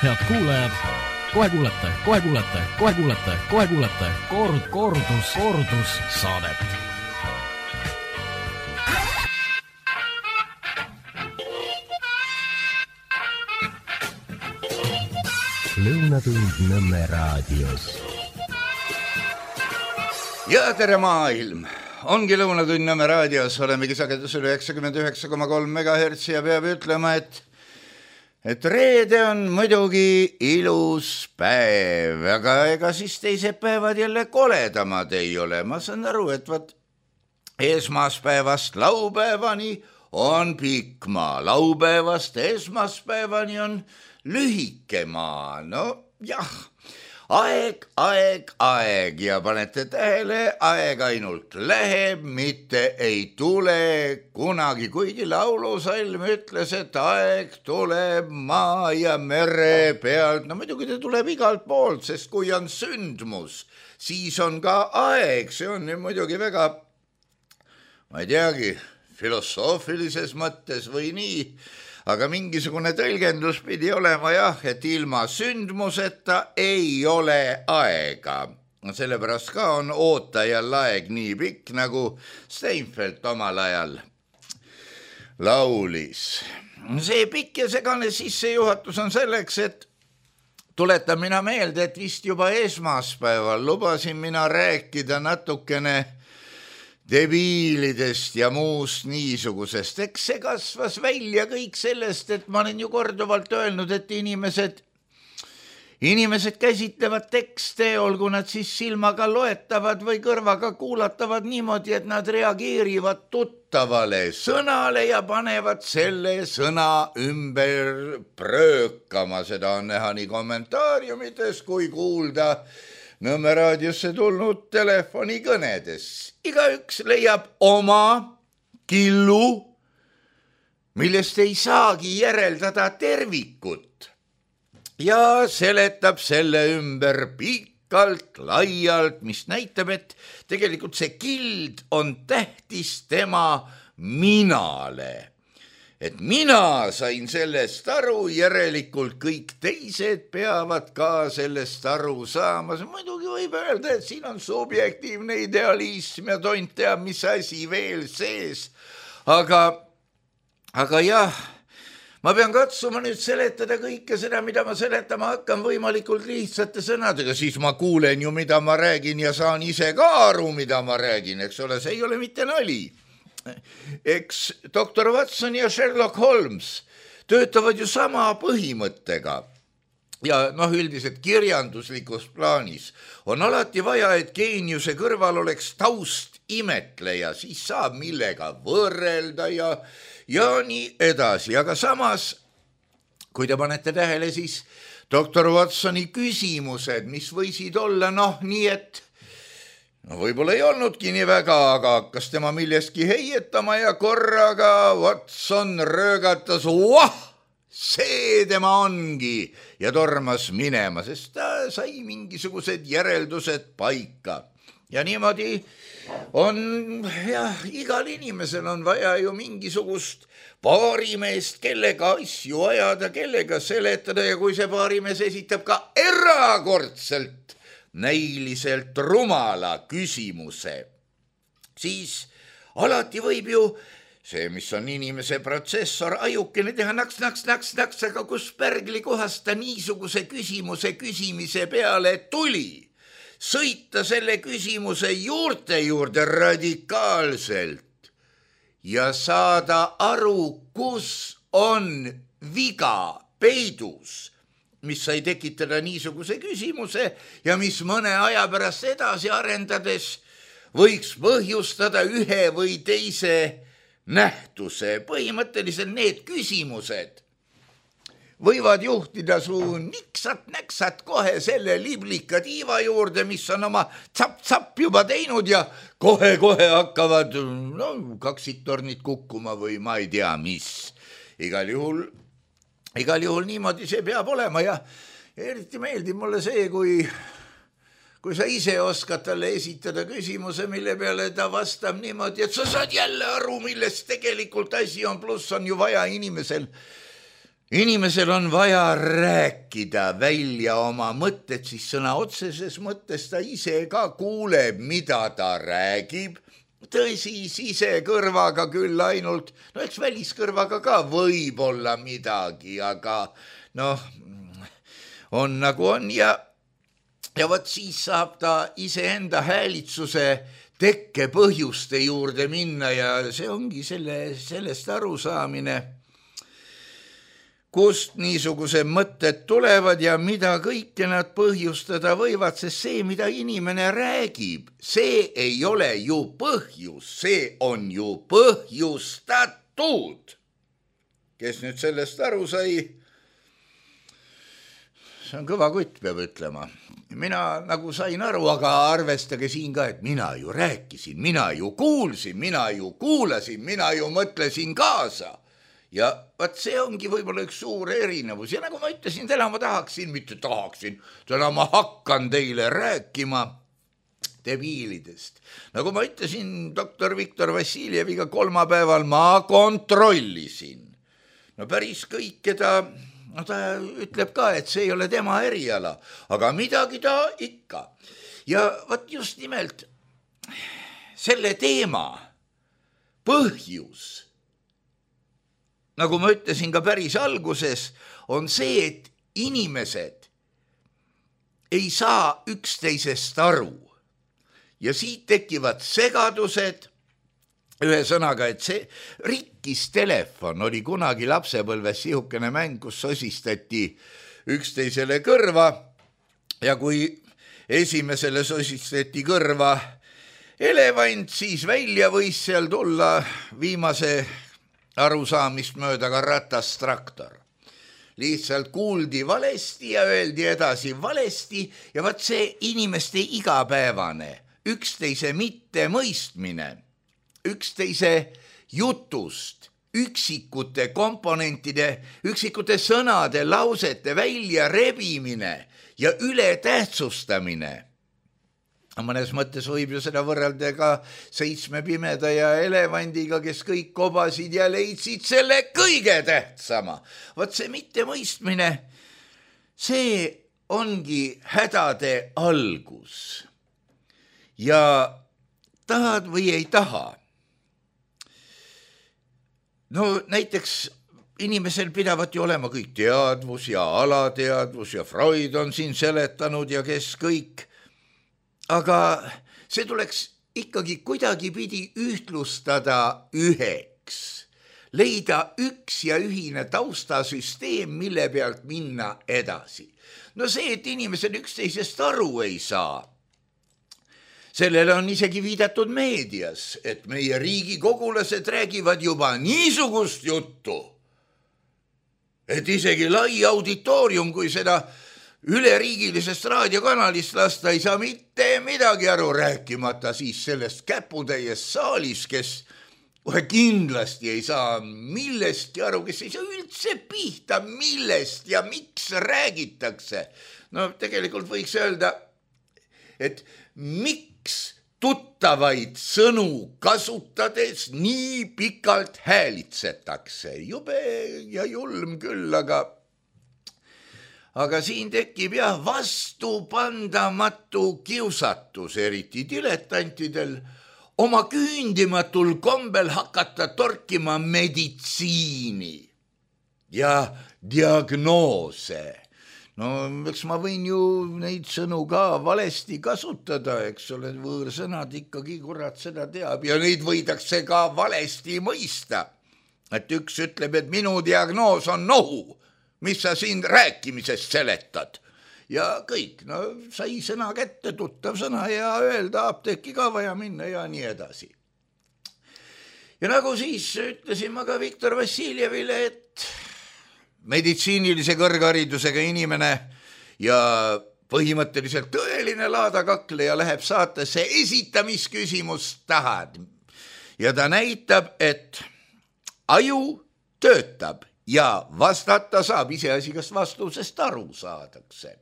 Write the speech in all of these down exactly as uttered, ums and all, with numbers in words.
Head kuulajad, kohe kuulete, kohe kuulete, kohe kuulete, kohe kuulete kord, kordus, kordus saadet. Lõunatund Nõmme raadios. Ja tere maailm! Ongi Lõunatund Nõmme raadios, olemegi sagedusel üheksakümmend üheksa koma kolm megahertsi ja peab ütlema, et et reede on muidugi ilus päev, aga ega siis teised päevad jälle koledamad ei ole. Ma saan aru, et võt esmaspäevast laupäevani on pikk maa, laupäevast esmaspäevani on lühike maa. No jah, aeg, aeg, aeg ja panete tähele, aeg ainult läheb, mitte ei tule kunagi, kuigi laulusalm ütles, et aeg tuleb maa ja mere pealt. No muidugi ta tuleb igalt poolt, sest kui on sündmus, siis on ka aeg. See on muidugi väga, ma ei teagi, filosoofilises mõttes või nii, aga mingisugune tõlgendus pidi olema jah, et ilma sündmuseta ei ole aega. Sellepärast ka on ootajal aeg nii pikk, nagu Steinfeld omal ajal laulis. See pikk ja segane sissejuhatus on selleks, et tuletan mina meelde, et vist juba esmaspäeval lubasin mina rääkida natukene debiilidest ja muust niisugusest. Eks see kasvas välja kõik sellest, et ma olen ju korduvalt öelnud, et inimesed, inimesed käsitlevad tekste, olgu nad siis silmaga loetavad või kõrvaga kuulatavad niimoodi, et nad reageerivad tuttavale sõnale ja panevad selle sõna ümber pröökama. Seda on näha nii kommentaariumites kui kuulda Nõmme raadiosse tulnud telefonikõnedes. Igaüks leiab oma killu, millest ei saagi järeldada tervikut ja seletab selle ümber pikalt, laialt, mis näitab, et tegelikult see kild on tähtis tema minale. Et mina sain sellest aru, järelikult kõik teised peavad ka sellest aru saama. Muidugi võib öelda, et siin on subjektiivne idealism ja tont teab, mis asi veel sees. Aga, aga jah, ma pean katsuma nüüd seletada kõike seda, mida ma seletama hakkan võimalikult lihtsate sõnadega. Siis ma kuulen ju, mida ma räägin ja saan ise ka aru, mida ma räägin, eks ole, see ei ole mitte nali. Eks doktor Watson ja Sherlock Holmes töötavad ju sama põhimõttega ja noh, üldiselt kirjanduslikus plaanis on alati vaja, et geeniuse kõrval oleks taust imetleja, siis saab millega võrrelda ja, ja nii edasi. Aga samas, kui te panete tähele, siis doktor Watsoni küsimused, mis võisid olla noh, nii et no võib-olla ei olnudki nii väga, aga hakkas tema millestki heietama ja korraga Watson röögatas, vah, see tema ongi ja tormas minema, sest ta sai mingisugused järeldused paika. Ja niimoodi on, jah, igal inimesel on vaja ju mingisugust paarimeest, kellega asju ajada, kellega seletada ja kui see paarimees esitab ka erakordselt näiliselt rumala küsimuse, siis alati võib ju see, mis on inimese protsessor, ajukene teha naks, naks, naks, naks, aga kus pärgli kohast ta niisuguse küsimuse küsimise peale tuli, sõita selle küsimuse juurte juurde radikaalselt ja saada aru, kus on viga peidus, mis sai tekitada niisuguse küsimuse ja mis mõne aja pärast edasi arendades võiks põhjustada ühe või teise nähtuse. Põhimõtteliselt need küsimused võivad juhtida su niksat-näksat kohe selle liblika tiiva juurde, mis on oma tsap-tsap juba teinud ja kohe-kohe hakkavad no, kaksiktornid kukkuma või ma ei tea mis. Igal juhul Igal juhul niimoodi see peab olema ja eriti meeldib mulle see, kui, kui sa ise oskad talle esitada küsimuse, mille peale ta vastab niimoodi, et sa saad jälle aru, millest tegelikult asi on, pluss on ju vaja inimesel inimesel on vaja rääkida välja oma mõtted, siis sõna otseses mõttes ta ise ka kuuleb, mida ta räägib. Tõsi, sise kõrvaga küll ainult, no eks väliskõrvaga ka võib olla midagi, aga noh, on nagu on ja, ja võt siis saab ta iseenda häälitsuse tekke põhjuste juurde minna ja see ongi selle, sellest arusaamine, kust niisuguse mõtted tulevad ja mida kõike nad põhjustada võivad, sest see, mida inimene räägib, see ei ole ju põhjus, see on ju põhjustatud. Kes nüüd sellest aru sai, see on kõva kutt, peab ütlema. Mina nagu sain aru, aga arvestage siin ka, et mina ju rääkisin, mina ju kuulsin, mina ju kuulasin, mina ju mõtlesin kaasa. Ja vaat see ongi võib-olla üks suur erinevus ja nagu ma ütlesin, täna ma tahaksin, mitte tahaksin, täna ma hakkan teile rääkima debiilidest. Nagu ma ütlesin doktor Viktor Vassiljeviga kolmapäeval, ma kontrollisin. No päris kõik, keda, no ta ütleb ka, et see ei ole tema eriala, aga midagi ta ikka. Ja vaat just nimelt selle teema põhjus, nagu ma ütlesin ka päris alguses, on see, et inimesed ei saa üksteisest aru ja siit tekivad segadused. Ühesõnaga, et see rikkis telefon oli kunagi lapsepõlves sihukene mäng, kus sosistati üksteisele kõrva ja kui esimesele sosistati kõrva elevant, siis välja võis seal tulla viimase arusaamist mööda ka ratastraktor. Lihtsalt kuuldi valesti ja öeldi edasi valesti ja vaat see inimeste igapäevane, üksteise mitte mõistmine, üksteise jutust, üksikute komponentide, üksikute sõnade, lausete välja rebimine ja ületähtsustamine. Mõnes mõttes võib ju seda võrrelda ka seitsme pimeda ja elevandiga, kes kõik kobasid ja leidsid selle kõige tähtsama. Vaat see mittemõistmine, see ongi hädade algus. Ja tahad või ei taha. No näiteks inimesel pidavat ju olema kõik teadvus ja alateadvus ja Freud on siin seletanud ja kes kõik. Aga see tuleks ikkagi kuidagi pidi ühtlustada üheks, leida üks ja ühine taustasüsteem, mille pealt minna edasi. No see, et inimesed üksteisest aru ei saa, sellele on isegi viidatud meedias, et meie riigikogulased räägivad juba niisugust juttu, et isegi lai auditoorium, kui seda üleriigilisest raadiokanalist lasta ei saa mitte midagi aru, rääkimata siis sellest käputäies saalis, kes kohe kindlasti ei saa millestki aru, kes ei saa üldse pihta, millest ja miks räägitakse. No tegelikult võiks öelda, et miks tuttavaid sõnu kasutades nii pikalt häälitsetakse. Jube ja julm küll, aga Aga siin tekib jah vastupandamatu kiusatus, eriti diletantidel, oma küündimatul kombel hakata torkima meditsiini ja diagnoose. No eks ma võin ju neid sõnu ka valesti kasutada, eks ole, võõrsõnad ikkagi kurat seda teab ja neid võidakse ka valesti mõista. Et üks ütleb, et minu diagnoos on nohu, mis sa siin rääkimisest seletad. Ja kõik, no sai sõna kätte, tuttav sõna ja öelda apteeki ka vaja minna ja nii edasi. Ja nagu siis ütlesin ma ka Viktor Vassiljevile, et meditsiinilise kõrgharidusega inimene ja põhimõtteliselt tõeline laadakakleja läheb saatesse esitamisküsimust tahad. Ja ta näitab, et aju töötab ja vastata saab, iseasi, kas vastusest aru saadakse.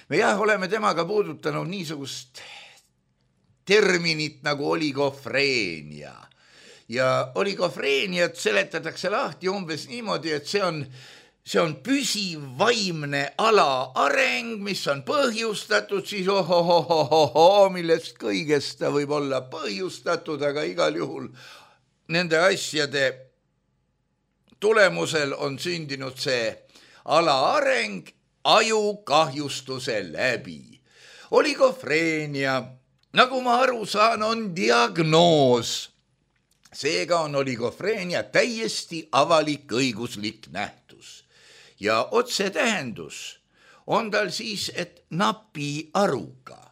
Me jah, oleme temaga puudutanud niisugust terminit nagu oligofreenia ja oligofreeniat seletatakse lahti umbes niimoodi, et see on see on püsiv vaimne alaareng, mis on põhjustatud siis ohohohoho, millest kõigest ta võib olla põhjustatud, aga igal juhul nende asjade tulemusel on sündinud see alaareng ajukahjustuse läbi. Oligofreenia, nagu ma aru saan, on diagnoos. Seega on oligofreenia täiesti avalik õiguslik nähtus. Ja otsetähendus on tal siis, et napi aruga.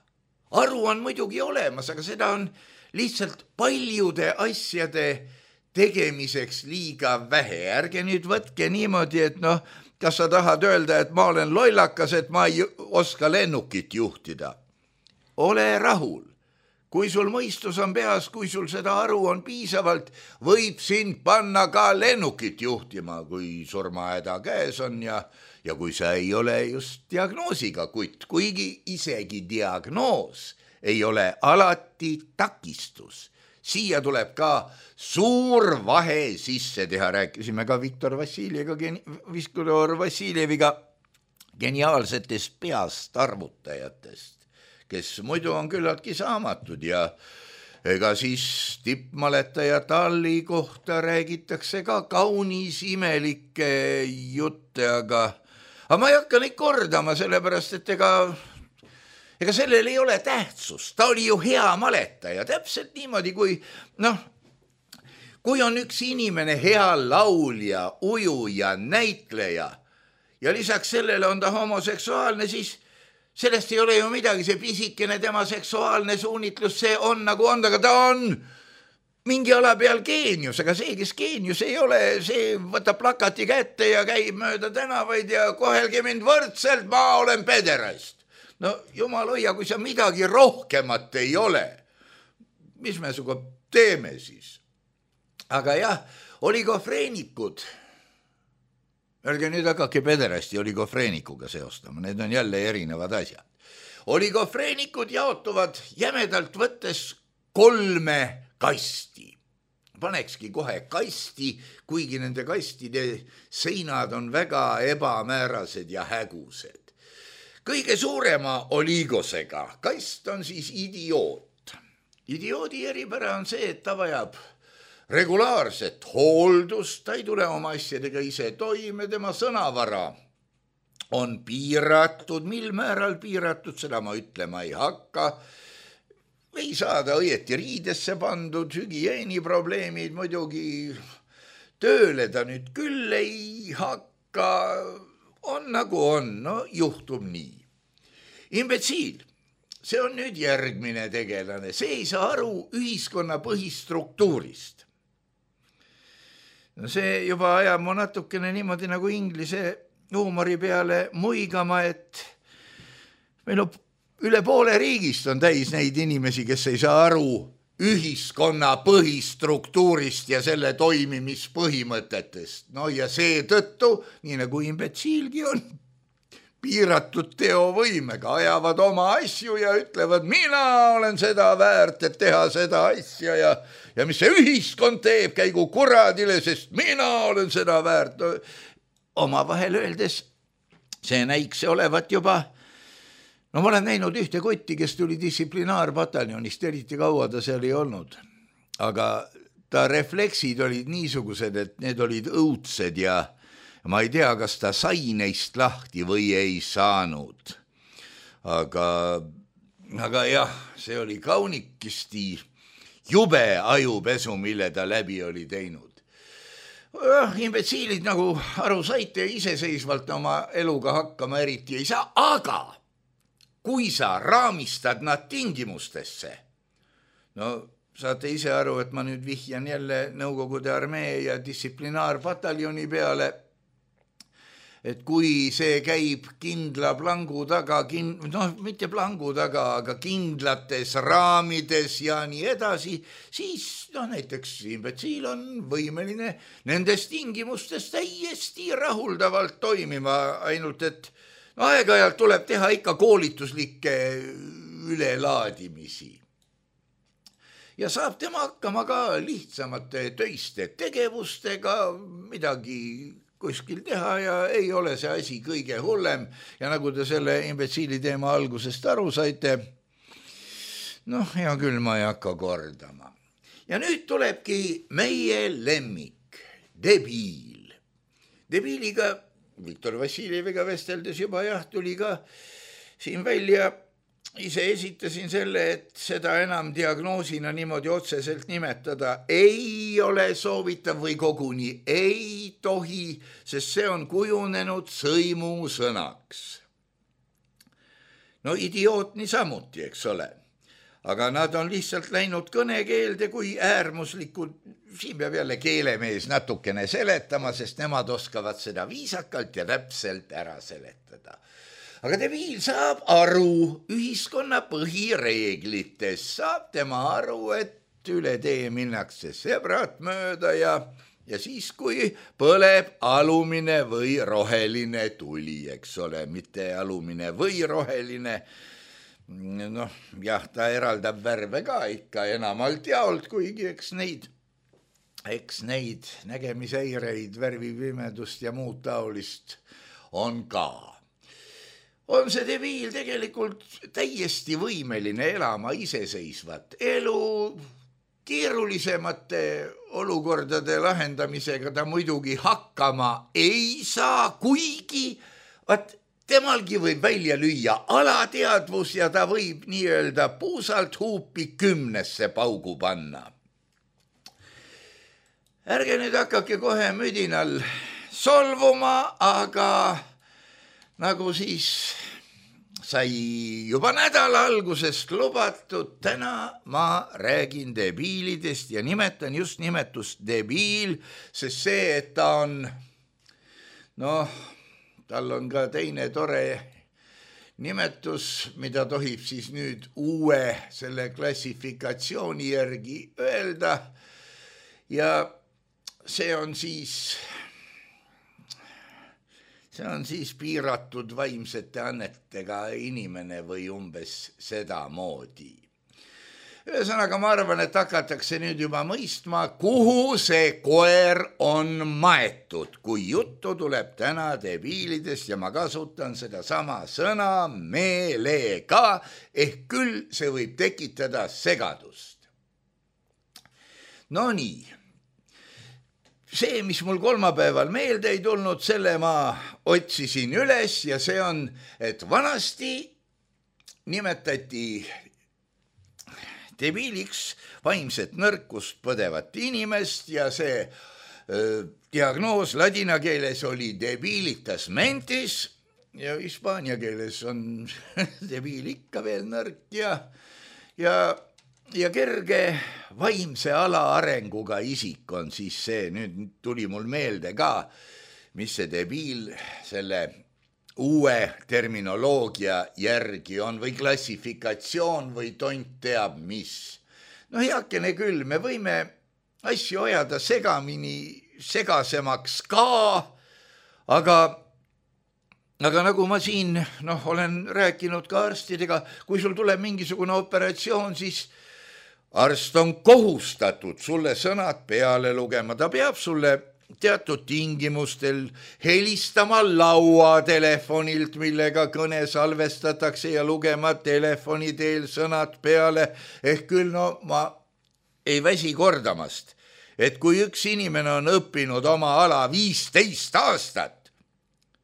Aru on muidugi olemas, aga seda on lihtsalt paljude asjade tegemiseks liiga vähe. Ärge nüüd võtke niimoodi, et noh, kas sa tahad öelda, et ma olen lollakas, et ma ei oska lennukit juhtida. Ole rahul. Kui sul mõistus on peas, kui sul seda aru on piisavalt, võib sind panna ka lennukit juhtima, kui surmahäda käes on ja, ja kui sa ei ole just diagnoosiga kutt, kuigi isegi diagnoos ei ole alati takistus. Siia tuleb ka suur vahe sisse teha, rääkisime ka Viktor Vassiljeviga, Viktor Vassiljeviga geniaalsetest peast arvutajatest, kes muidu on küllaltki saamatud ja ega siis tippmaletaja Talli kohta räägitakse ka kaunis imelikke jutte, aga, aga ma ei hakka neid kordama, sellepärast et ega, ega sellel ei ole tähtsust. Ta oli ju hea maletaja, täpselt niimoodi, kui, noh, kui on üks inimene hea laulja, ujuja, näitleja ja lisaks sellele on ta homoseksuaalne, siis sellest ei ole ju midagi, see pisikene tema seksuaalne suunitlus, see on nagu on, aga ta on mingi ala peal geenius, aga see, kes geenius ei ole, see võtab plakati kätte ja käib mööda tänavaid ja kohelge mind võrdselt, ma olen pederast. No jumal hoia, kui sa midagi rohkemat ei ole, mis me suga teeme siis? Aga jah, oligofreenikud, ärge nüüd hakake pederasti oligofreenikuga seostama, need on jälle erinevad asjad. Oligofreenikud jaotuvad jämedalt võttes kolme kasti. Panekski kohe kasti, kuigi nende kastide seinad on väga ebamäärased ja hägused. Kõige suurema oligosega kast on siis idioot. Idioodi eripära on see, et ta vajab regulaarset hooldust, ta ei tule oma asjadega ise toime, tema sõnavara on piiratud, mil määral piiratud, seda ma ütlema ei hakka. Ei saada õieti riidesse pandud, hügieeniprobleemid muidugi, tööle ta nüüd küll ei hakka, on nagu on, no juhtub nii. Imbetsiil, see on nüüd järgmine tegelane, see ei saa aru ühiskonna põhistruktuurist. No see juba ajab mu natukene niimoodi nagu inglise huumori peale muigama, et meil on üle poole riigist on täis neid inimesi, kes ei saa aru ühiskonna põhistruktuurist ja selle toimimispõhimõtetest. No ja seetõttu, nii nagu imbetsiilgi on, piiratud teovõimega, ajavad oma asju ja ütlevad, mina olen seda väärt, et teha seda asja ja, ja mis see ühiskond teeb, käigu kuradile, sest mina olen seda väärt. Oma vahel öeldes, see näikse olevat juba, no ma olen näinud ühte kotti, kes tuli distsiplinaarpataljonist, eriti kaua ta seal ei olnud, aga ta refleksid olid niisugused, et need olid õudsed ja ma ei tea, kas ta sai neist lahti või ei saanud. Aga, aga jah, see oli kaunikisti jube ajupesu, mille ta läbi oli teinud. Imbetsiilid nagu aru saite iseseisvalt oma eluga hakkama eriti ei saa, aga kui sa raamistad nad tingimustesse, no saate ise aru, et ma nüüd vihjan jälle Nõukogude armee ja distsiplinaarpataljoni peale, et kui see käib kindla plangu taga, kind, noh, mitte plangu taga, aga kindlates raamides ja nii edasi, siis noh, näiteks imbetsiil on võimeline nendes tingimustes täiesti rahuldavalt toimima, ainult et no, aeg-ajalt tuleb teha ikka koolituslikke ülelaadimisi. ja saab tema hakkama ka lihtsamate töiste tegevustega, midagi kuskil teha ja ei ole see asi kõige hullem. Ja nagu te selle imbetsiili teema algusest aru saite, noh, hea küll, ma ei hakka kordama. Ja nüüd tulebki meie lemmik, debiil. Debiiliga, Viktor Vassiljeviga vesteldes juba jah, tuli ka siin välja, ise esitasin selle, et seda enam diagnoosina niimoodi otseselt nimetada ei ole soovitav või koguni ei tohi, sest see on kujunenud sõimusõnaks. No idioot niisamuti, eks ole. Aga nad on lihtsalt läinud kõnekeelde kui äärmuslikud, siin peab jälle keelemees natukene seletama, sest nemad oskavad seda viisakalt ja täpselt ära seletada. Aga debiil saab aru ühiskonna põhireeglites, saab tema aru, et üle tee minnakse sebrat mööda ja, ja siis, kui põleb alumine või roheline tuli, eks ole, mitte alumine või roheline, noh, jah, ta eraldab värve ka ikka enamalt jaolt, kuigi eks neid, eks neid nägemishäireid, värvipimedust ja muud taolist on ka. On see debiil tegelikult täiesti võimeline elama iseseisvat elu, keerulisemate olukordade lahendamisega ta muidugi hakkama ei saa, kuigi vaat temalgi võib välja lüüa alateadvus ja ta võib nii-öelda puusalt huupi kümnesse paugu panna. Ärge nüüd hakake kohe müdinal solvuma, aga nagu siis sai juba nädala algusest lubatud, täna ma räägin debiilidest ja nimetan just nimetust debiil, sest see, et ta on, noh, tal on ka teine tore nimetus, mida tohib siis nüüd uue selle klassifikatsiooni järgi öelda ja see on siis, see on siis piiratud vaimsete annetega inimene või umbes seda moodi. Ühesõnaga, ma arvan, et hakatakse nüüd juba mõistma, kuhu see koer on maetud, kui juttu tuleb täna debiilidest ja ma kasutan seda sama sõna meelega, ehk küll see võib tekitada segadust. No nii, see, mis mul kolmapäeval meelde ei tulnud, selle ma otsisin üles ja see on, et vanasti nimetati debiiliks vaimset nõrkust põdevat inimest ja see öö, diagnoos ladina keeles oli debilitas mentis ja hispaania keeles on debiil ikka veel nõrk ja, ja, ja kerge vaimse alaarenguga isik on siis see, nüüd tuli mul meelde ka, mis see debiil selle uue terminoloogia järgi on või klassifikatsioon või tont teab mis. No heakene küll, me võime asju ajada segamini, segasemaks ka, aga, aga nagu ma siin noh, olen rääkinud ka arstidega, kui sul tuleb mingisugune operatsioon, siis arst on kohustatud sulle sõnad peale lugema, ta peab sulle teatud tingimustel helistama lauatelefonilt, millega kõne salvestatakse ja lugema telefoni teel sõnad peale, ehk küll no ma ei väsi kordamast, et kui üks inimene on õppinud oma ala viisteist aastat,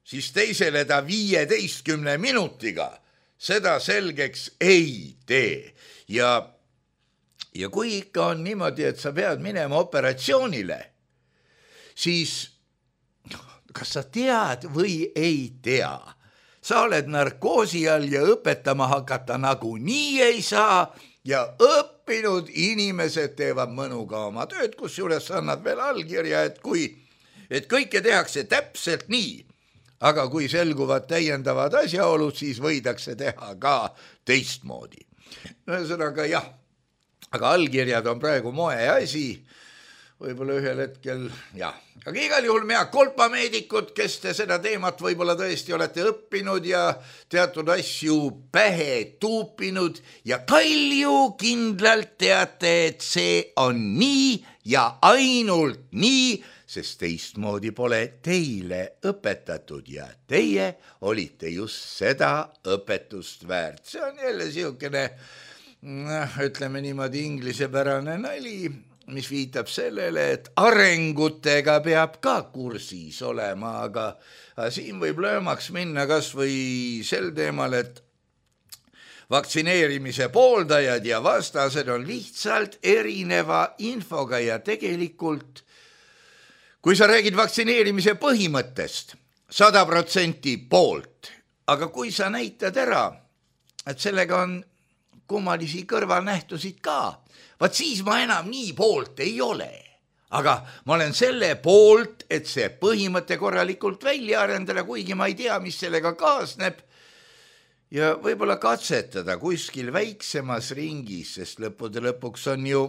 siis teisele ta viieteistkümne minutiga seda selgeks ei tee ja, ja kui ikka on niimoodi, et sa pead minema operatsioonile, siis kas sa tead või ei tea, sa oled narkoosi all ja õpetama hakata nagu nii ei saa ja õppinud inimesed teevad mõnuga oma tööd, kus juures annad veel allkirja, et kui, et kõike tehakse täpselt nii, aga kui selguvad täiendavad asjaolud, siis võidakse teha ka teistmoodi. Ühesõnaga jah, aga allkirjad on praegu moe asi, võib-olla ühel hetkel, jah. Aga igal juhul mea kolpameedikud, kes te seda teemat võib-olla tõesti olete õppinud ja teatud asju pähe tuupinud ja kalju kindlalt teate, et see on nii ja ainult nii, sest teistmoodi pole teile õpetatud ja teie olite just seda õpetust väärt. See on jälle siukene, ütleme niimoodi inglisepärane nali, mis viitab sellele, et arengutega peab ka kursis olema, aga siin võib löömaks minna kas või sel teemal, et vaktsineerimise pooldajad ja vastased on lihtsalt erineva infoga ja tegelikult, kui sa räägid vaktsineerimise põhimõttest, sada protsenti poolt, aga kui sa näitad ära, et sellega on kummalisi kõrvalnähtusid ka, vaat siis ma enam nii poolt ei ole. Aga ma olen selle poolt, et see põhimõte korralikult välja arendada, kuigi ma ei tea, mis sellega kaasneb ja võib-olla katsetada kuskil väiksemas ringis, sest lõppude lõpuks on ju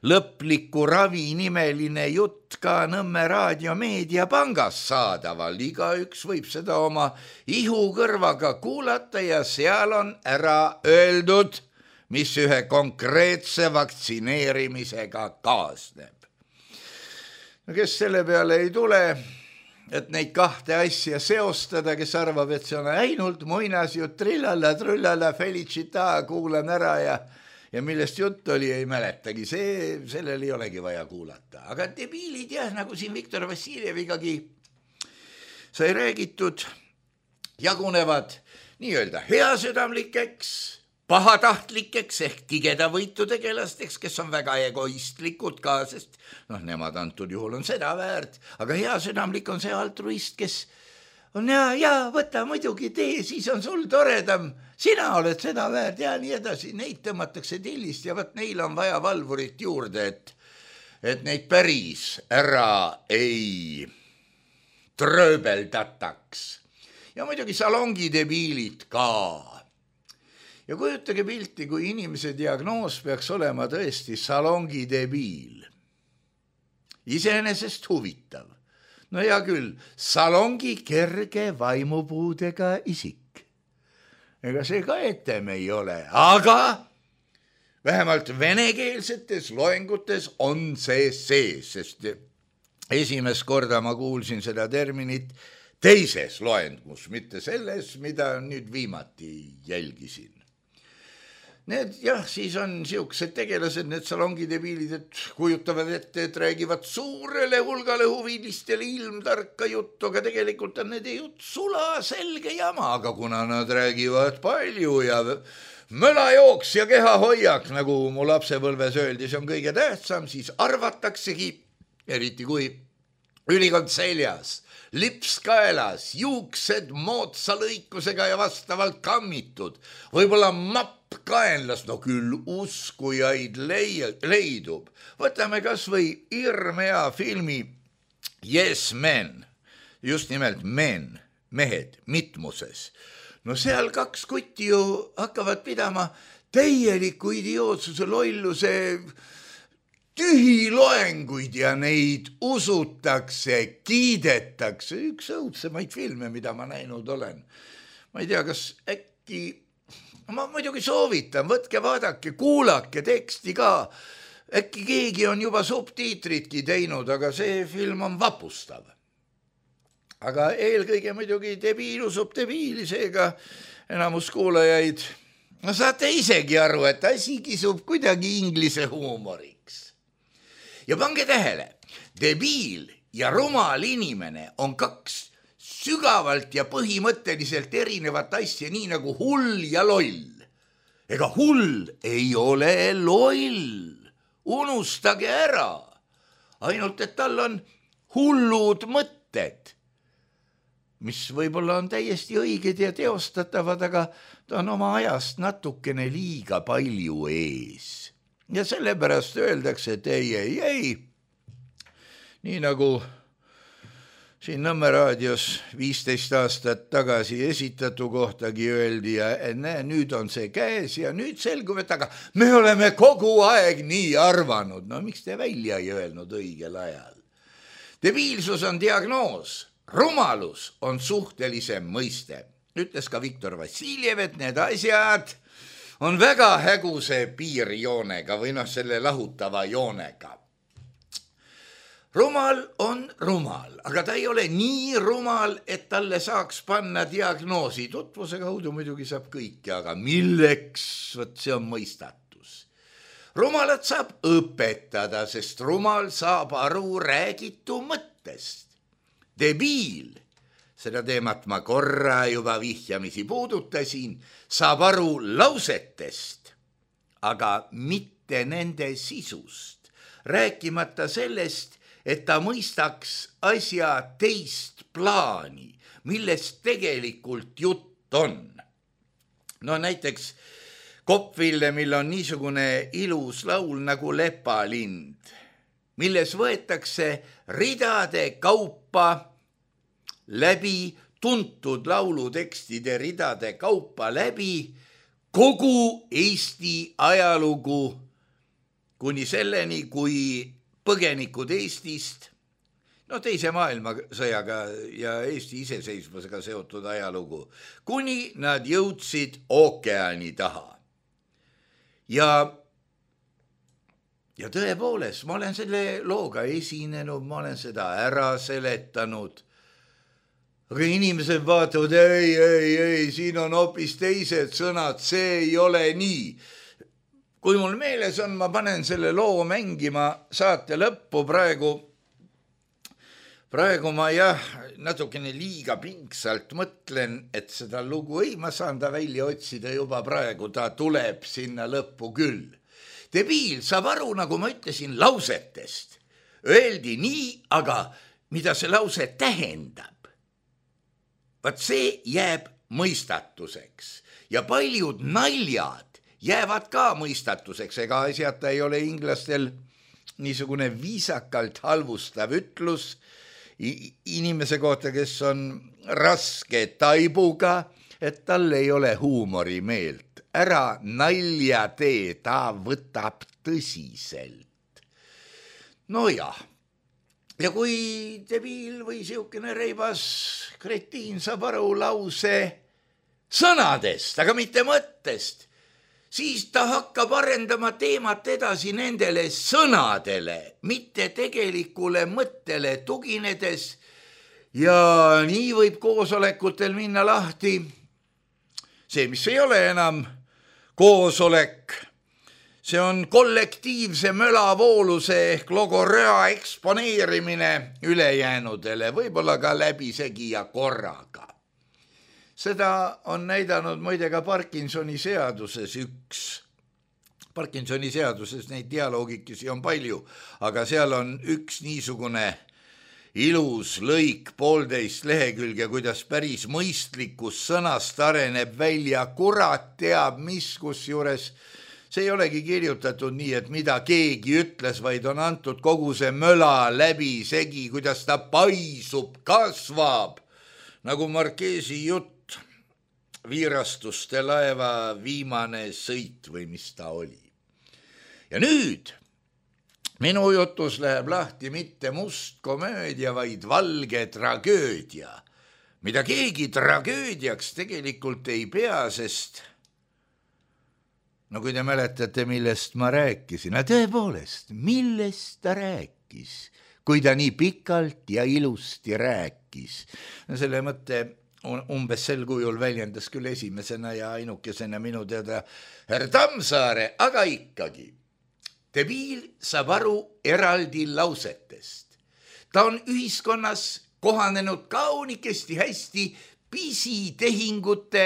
lõpliku ravi nimeline jutt ka Nõmme raadiomeediapangas saadaval. Igaüks võib seda oma ihukõrvaga kuulata ja seal on ära öeldud, mis ühe konkreetse vaktsineerimisega kaasneb. No kes selle peale ei tule, et neid kahte asja seostada, kes arvab, et see on ainult muinasjutt, trillala, trullala, felicita, kuulan ära ja ja millest jutt oli, ei mäletagi, see, sellel ei olegi vaja kuulata. Aga debiilid jah, nagu siin Viktor Vassiljevigagi sai räägitud, jagunevad nii-öelda heasüdamlikeks, pahatahtlikeks ehk tigeda võitu tegelasteks, kes on väga egoistlikud ka, sest noh, nemad antud juhul on seda väärt, aga heasüdamlik on see altruist, kes on ja, ja võta muidugi tee, siis on sul toredam, sina oled seda väärt ja nii edasi, neid tõmmatakse tillist ja võt neil on vaja valvurit juurde, et, et neid päris ära ei trööbeldataks. Ja muidugi salongidebiilid ka. Ja kujutage pilti, kui inimese diagnoos peaks olema tõesti salongidebiil. Iseenesest huvitav. No hea küll, salongi kerge vaimupuudega isik. Ega see ka etem ei ole, aga vähemalt venekeelsetes loengutes on see sees, sest esimest korda ma kuulsin seda terminit teises loengus, mitte selles, mida nüüd viimati jälgisin. Need jah, siis on siuksed tegelased, need salongidebiilid, et kujutavad ette, et räägivad suurele hulgale huvilistele ilmtarka juttu, aga tegelikult on need jutt sula selge jama, aga kuna nad räägivad palju ja mölajooks ja kehahoiak, nagu mu lapsepõlves öeldi, see on kõige tähtsam, siis arvataksegi, eriti kui ülikond seljas, lips kaelas, juuksed moodsa lõikusega ja vastavalt kammitud, võib-olla mapp kaenlas, no küll uskujaid leidub. Võtame kas või hirmea filmi Yes Men, just nimelt men, mehed, mitmuses. No seal kaks kutti ju hakkavad pidama täieliku idiootsuse, lolluse tühiloenguid ja neid usutakse, kiidetakse. Üks õudsemaid filme, mida ma näinud olen. Ma ei tea, kas äkki ma muidugi soovitan, võtke vaadake, kuulake teksti ka. Äkki keegi on juba subtiitritki teinud, aga see film on vapustav. Aga eelkõige muidugi debiil usub debiili, seega enamus kuulajaid, no saate isegi aru, et asi kisub kuidagi inglise huumoriks. Ja pange tähele, debiil ja rumal inimene on kaks sügavalt ja põhimõtteliselt erinevat asja, nii nagu hull ja loll. Ega hull ei ole loll. Unustage ära. Ainult, et tal on hullud mõtted, mis võib-olla on täiesti õiged ja teostatavad, aga ta on oma ajast natukene liiga palju ees. Ja sellepärast öeldakse, et ei, ei, ei. Nii nagu siin Nõmme raadios viisteist aastat tagasi esitatu kohtagi öeldi ja näe, nüüd on see käes ja nüüd selgub, et aga me oleme kogu aeg nii arvanud. No miks te välja ei öelnud õigel ajal? Debiilsus on diagnoos, rumalus on suhtelisem mõiste. Ütles ka Viktor Vassiljev, et need asjad on väga häguse piirjoonega või noh, selle lahutava joonega. Rumal on rumal, aga ta ei ole nii rumal, et talle saaks panna diagnoosi. Tutvuse kaudu muidugi saab kõike, aga milleks? Võt see on mõistatus. Rumalat saab õpetada, sest rumal saab aru räägitu mõttest. Debiil, seda teemat ma korra juba vihjamisi puudutasin, saab aru lausetest, aga mitte nende sisust. Rääkimata sellest, et ta mõistaks asja teist plaani, millest tegelikult jutt on. No näiteks Kopp-Villemil on niisugune ilus laul nagu Lepalind, milles võetakse ridade kaupa läbi, tuntud laulutekstide ridade kaupa läbi kogu Eesti ajalugu kuni selleni, kui põgenikud Eestist, no teise maailmasõjaga ja Eesti iseseisvusega seotud ajalugu, kuni nad jõudsid ookeani taha. Ja, ja tõepoolest, ma olen selle looga esinenud, ma olen seda ära seletanud, aga inimesed vaatavad, ei, ei, ei, siin on hoopis teised sõnad, see ei ole nii. Kui mul meeles on, ma panen selle loo mängima saate lõppu praegu. Praegu ma jah, natukene liiga pingsalt mõtlen, et seda lugu ei, ma saan ta välja otsida juba praegu, ta tuleb sinna lõppu küll. Debiil saab aru, nagu ma ütlesin, lausetest. Öeldi nii, aga mida see lause tähendab? Vaat see jääb mõistatuseks ja paljud naljad jäävad ka mõistatuseks, ega asjata ei ole inglastel niisugune viisakalt halvustav ütlus inimese kohta, kes on raske taibuga, et tal ei ole huumorimeelt. Ära nalja tee, ta võtab tõsiselt. No jah, ja kui debiil või siukene reibas kretiin saab aru lause sõnadest, aga mitte mõttest, siis ta hakkab arendama teemat edasi nendele sõnadele, mitte tegelikule mõttele tuginedes ja nii võib koosolekutel minna lahti. See, mis ei ole enam koosolek, see on kollektiivse mölavooluse ehk logoröa eksponeerimine ülejäänudele, võib-olla ka läbisegi ja korraga. Seda on näidanud muide ka Parkinsoni seaduses üks. Parkinsoni seaduses neid dialoogikesi on palju, aga seal on üks niisugune ilus lõik, poolteist lehekülge, kuidas päris mõistlikus sõnast areneb välja, kurat teab mis, kus juures see ei olegi kirjutatud nii, et mida keegi ütles, vaid on antud kogu see möla läbi segi, kuidas ta paisub, kasvab, nagu Markeesi jutt. Viirastuste laeva viimane sõit või mis ta oli. Ja nüüd minu jutus läheb lahti mitte must komöödia, vaid valge tragöödia, mida keegi tragöödiaks tegelikult ei pea, sest no kui te mäletate, millest ma rääkisin, no tõepoolest, millest ta rääkis, kui ta nii pikalt ja ilusti rääkis. No selle mõtte umbes sel kujul väljendas küll esimesena ja ainukesena minu teada härra Tammsaare, aga ikkagi. Debiil saab aru eraldi lausetest. Ta on ühiskonnas kohanenud kaunikesti hästi pisitehingute,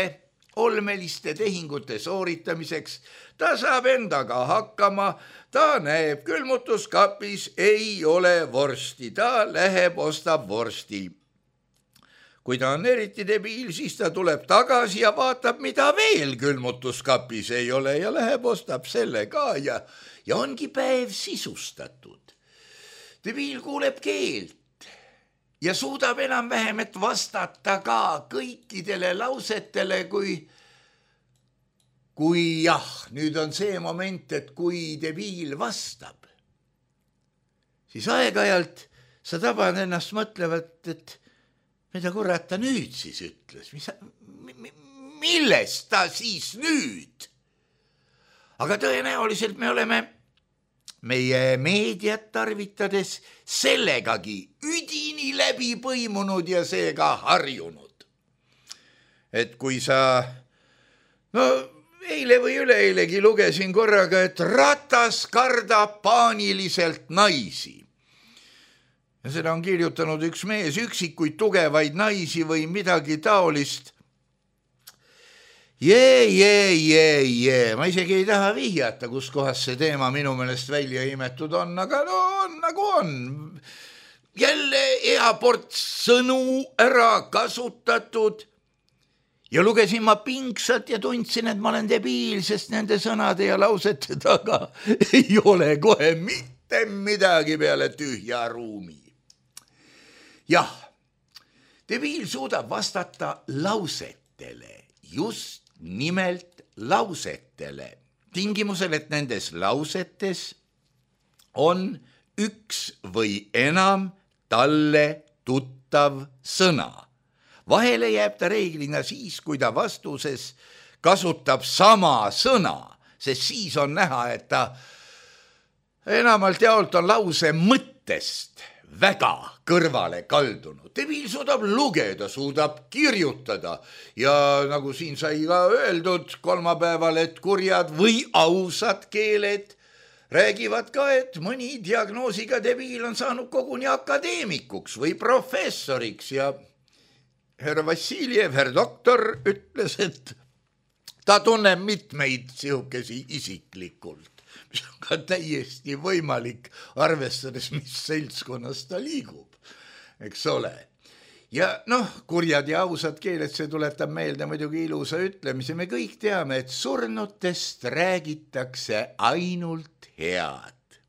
olmeliste tehingute sooritamiseks. Ta saab endaga hakkama, ta näeb külmutuskapis, ei ole vorsti, ta läheb, ostab vorsti. Kui ta on eriti debiil, siis ta tuleb tagasi ja vaatab, mida veel külmutuskapis ei ole ja läheb, ostab selle ka ja, ja ongi päev sisustatud. Debiil kuuleb keelt ja suudab enam-vähem, et vastata ka kõikidele lausetele, kui kui jah, nüüd on see moment, et kui debiil vastab, siis aeg-ajalt sa tabad ennast mõtlevat, et mida kurat ta nüüd siis ütles, mis, millest ta siis nüüd? Aga tõenäoliselt me oleme meie meediat tarvitades sellegagi üdini läbi põimunud ja seega harjunud. Et kui sa, no eile või üleeilegi lugesin korraga, et Ratas kardab paaniliselt naisi. Ja seda on kirjutanud üks mees, üksikuid tugevaid naisi või midagi taolist. Jee, jee, jee, jee, ma isegi ei taha vihjata, kus kohas see teema minu meelest välja imetud on, aga no on nagu on. Jälle hea ports sõnu ära kasutatud. Ja lugesin ma pingsalt ja tundsin, et ma olen debiil, sest nende sõnade ja lausete taga ei ole kohe mitte midagi peale tühja ruumi. Jah, debiil suudab vastata lausetele, just nimelt lausetele, tingimusel, et nendes lausetes on üks või enam talle tuttav sõna. Vahele jääb ta reeglina siis, kui ta vastuses kasutab sama sõna, sest siis on näha, et ta enamalt jaolt on lause mõttest väga kõrvale kaldunud. Debiil suudab lugeda, suudab kirjutada ja nagu siin sai ka öeldud kolmapäeval, et kurjad või ausad keeled räägivad ka, et mõni diagnoosiga debiil on saanud koguni akadeemikuks või professoriks ja härra Vassiljev, härra doktor, ütles, et ta tunneb mitmeid sihukesi isiklikult, mis on ka täiesti võimalik, arvestades, mis seltskonnas ta liigub, eks ole. Ja noh, kurjad ja ausad keeled, see tuletab meelde muidugi ilusa ütlemise. Me kõik teame, et surnutest räägitakse ainult head.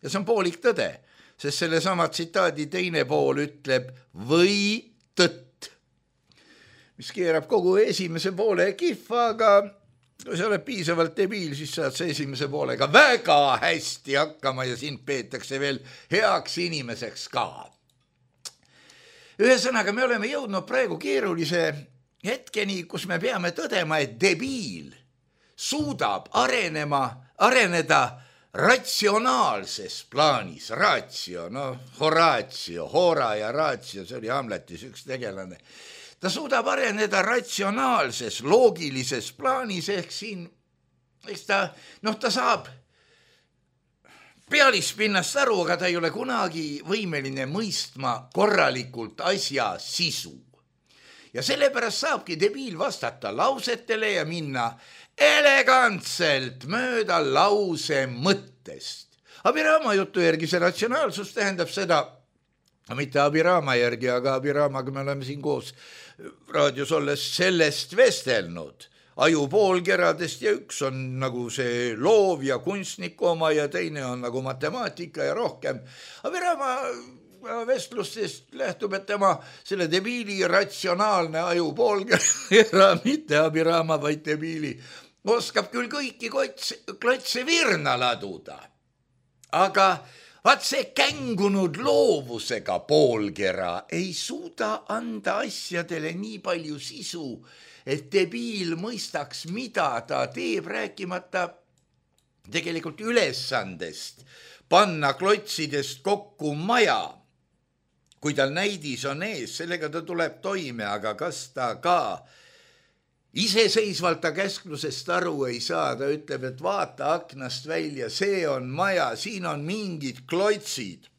Ja see on poolik tõde, sest selle sama tsitaadi teine pool ütleb või tõtt, mis keerab kogu esimese poole kihva, aga kui sa oled piisavalt debiil, siis saad sa esimese poolega väga hästi hakkama ja sind peetakse veel heaks inimeseks ka. Ühesõnaga, me oleme jõudnud praegu keerulise hetkeni, kus me peame tõdema, et debiil suudab arenema, areneda ratsionaalses plaanis, ratio, no Horatio, Hora ja ratio, see oli Hamletis üks tegelane. Ta suudab areneda ratsionaalses, loogilises plaanis, ehk siin, eks ta, noh, ta saab pealispinnast aru, aga ta ei ole kunagi võimeline mõistma korralikult asja sisu. Ja sellepärast saabki debiil vastata lausetele ja minna elegantselt mööda lause mõttest. Abiraama jutu järgi see ratsionaalsus tähendab seda, mitte Abiraama järgi, aga Abiraamaga me oleme siin koos raadios olles sellest vestelnud. Aju poolkeradest ja üks on nagu see loov ja kunstniku oma ja teine on nagu matemaatika ja rohkem. Abiraama vestlustest lähtub, et tema selle debiili ratsionaalne aju poolkera, mitte Abiraama, vaid debiili, oskab küll kõiki klotse virna laduda. Aga vaat see kängunud loovusega poolkera ei suuda anda asjadele nii palju sisu, et debiil mõistaks, mida ta teeb, rääkimata tegelikult ülesandest panna klotsidest kokku maja. Kui tal näidis on ees, sellega ta tuleb toime, aga kas ta ka iseseisvalt ta käsklusest aru ei saa, ta ütleb, et vaata aknast välja, see on maja, siin on mingid klotsid,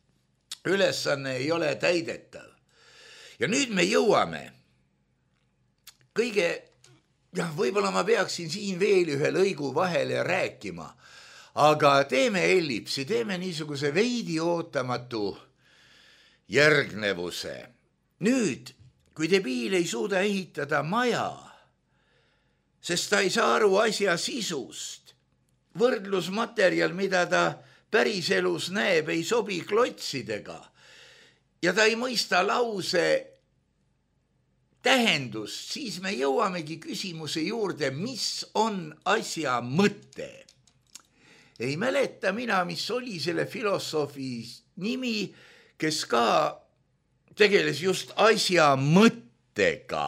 ülesanne ei ole täidetav. Ja nüüd me jõuame kõige, jah, võib-olla ma peaksin siin veel ühe lõigu vahele rääkima, aga teeme ellipsi, teeme niisuguse veidi ootamatu järgnevuse. Nüüd, kui debiil ei suuda ehitada maja, sest ta ei saa aru asja sisust, võrdlusmaterjal, mida ta päriselus näeb, ei sobi klotsidega ja ta ei mõista lause tähendust, siis me jõuamegi küsimuse juurde, mis on asja mõte. Ei mäleta mina, mis oli selle filosoofi nimi, kes ka tegeles just asja mõttega.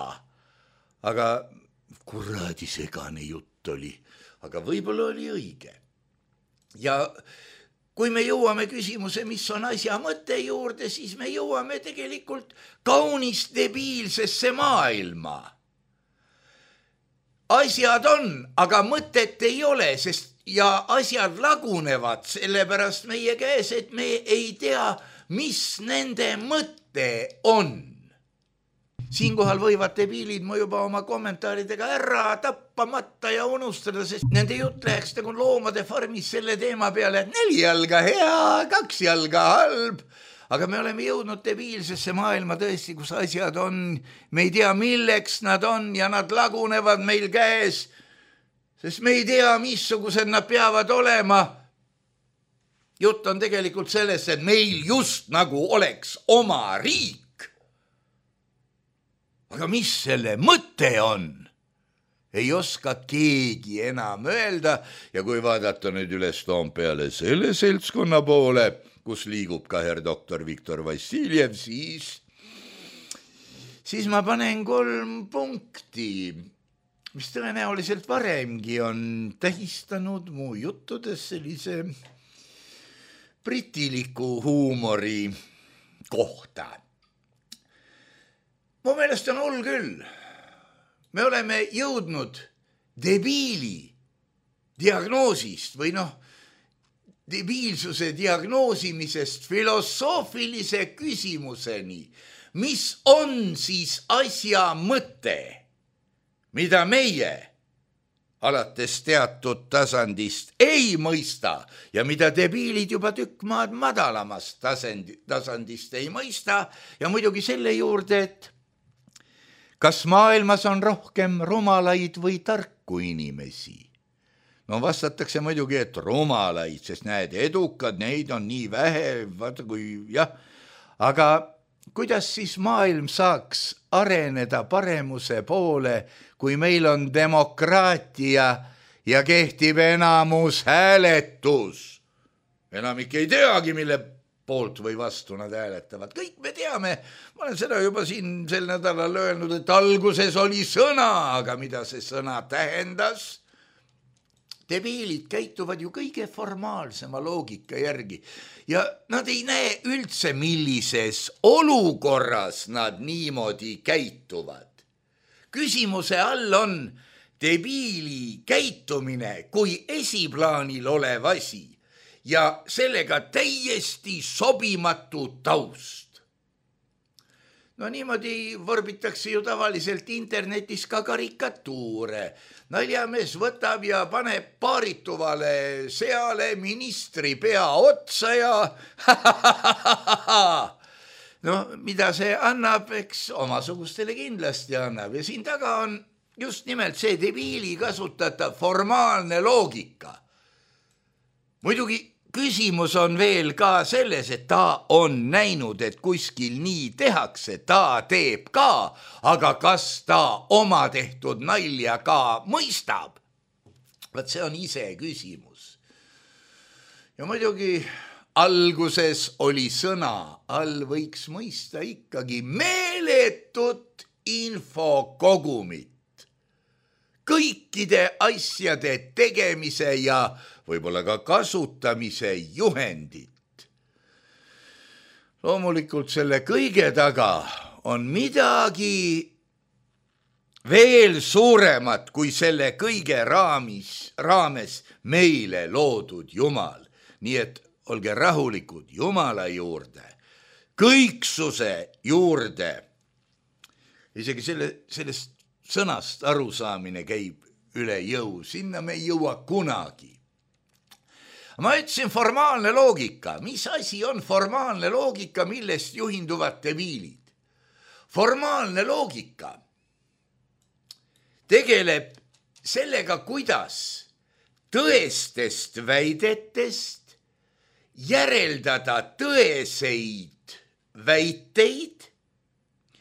Aga kuradi segane jutt oli, aga võib-olla oli õige. Ja kui me jõuame küsimuse, mis on asja mõte juurde, siis me jõuame tegelikult kaunis debiilsesse maailma. Asjad on, aga mõtet ei ole, sest ja asjad lagunevad sellepärast meie käes, et me ei tea, mis nende mõte on. Siinkohal võivad debiilid mu juba oma kommentaaridega ära tappamata ja unustada, sest nende jutt läheks nagu loomade farmis selle teema peale, et neli jalga hea, kaks jalga halb. Aga me oleme jõudnud debiilsesse maailma tõesti, kus asjad on, me ei tea, milleks nad on ja nad lagunevad meil käes, sest me ei tea, missugused nad peavad olema. Jutt on tegelikult sellest, et meil just nagu oleks oma riik. Aga mis selle mõte on? Ei oska keegi enam öelda ja kui vaadata nüüd üles Toompeale selle seltskonna poole, kus liigub ka herr doktor Viktor Vassiljev, siis, siis ma panen kolm punkti, mis tõenäoliselt varemgi on tähistanud mu juttudes sellise britiliku huumori kohta. Mu meelest on hull küll. Me oleme jõudnud debiili diagnoosist või noh, debiilsuse diagnoosimisest filosoofilise küsimuseni, mis on siis asja mõte, mida meie alates teatud tasandist ei mõista ja mida debiilid juba tükk maad madalamast tasandi, tasandist ei mõista ja muidugi selle juurde, et kas maailmas on rohkem rumalaid või tarku inimesi? No vastatakse muidugi, et rumalaid, sest näed, edukad, neid on nii vähe, vaata kui jah, aga kuidas siis maailm saaks areneda paremuse poole, kui meil on demokraatia ja kehtib enamus hääletus? Enamik ei teagi, mille poolt või vastu nad hääletavad. Kõik me teame, ma olen seda juba siin sel nädalal öelnud, et alguses oli sõna, aga mida see sõna tähendas? Debiilid käituvad ju kõige formaalsema loogika järgi ja nad ei näe üldse, millises olukorras nad niimoodi käituvad. Küsimuse all on debiili käitumine kui esiplaanil olev asi ja sellega täiesti sobimatu taust. No niimoodi vorbitakse ju tavaliselt internetis ka karikatuure. Naljamees võtab ja paneb paarituvale seale ministri pea otsa ja no mida see annab, eks omasugustele kindlasti annab. Ja siin taga on just nimelt see debiili kasutatav formaalne loogika. Muidugi küsimus on veel ka selles, et ta on näinud, et kuskil nii tehakse, ta teeb ka, aga kas ta oma tehtud nalja ka mõistab? Vaat see on ise küsimus. Ja muidugi alguses oli sõna, all võiks mõista ikkagi meeletut infokogumit. Kõikide asjade tegemise ja võib-olla ka kasutamise juhendit. Loomulikult selle kõige taga on midagi veel suuremat kui selle kõige raamis, raames meile loodud Jumal. Nii et olge rahulikud Jumala juurde, kõiksuse juurde. Isegi selle, sellest sõnast arusaamine käib üle jõu, sinna me ei jõua kunagi. Ma ütlesin formaalne loogika. Mis asi on formaalne loogika, millest juhinduvad debiilid? Formaalne loogika tegeleb sellega, kuidas tõestest väidetest järeldada tõeseid väiteid,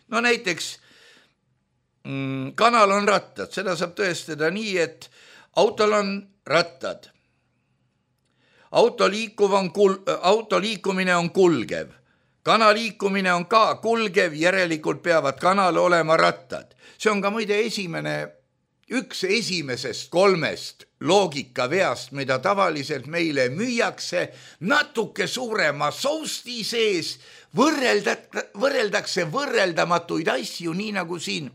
no näiteks mm, kanal on rattad, seda saab tõestada nii, et autol on rattad. Auto, liikuv on kul-, auto liikumine on kulgev, kana liikumine on ka kulgev, järelikult peavad kanal olema rattad. See on ka muide esimene, üks esimesest kolmest loogikaveast, mida tavaliselt meile müüakse natuke suurema sousti sees, võrrelda, võrreldakse võrreldamatuid asju, nii nagu siin.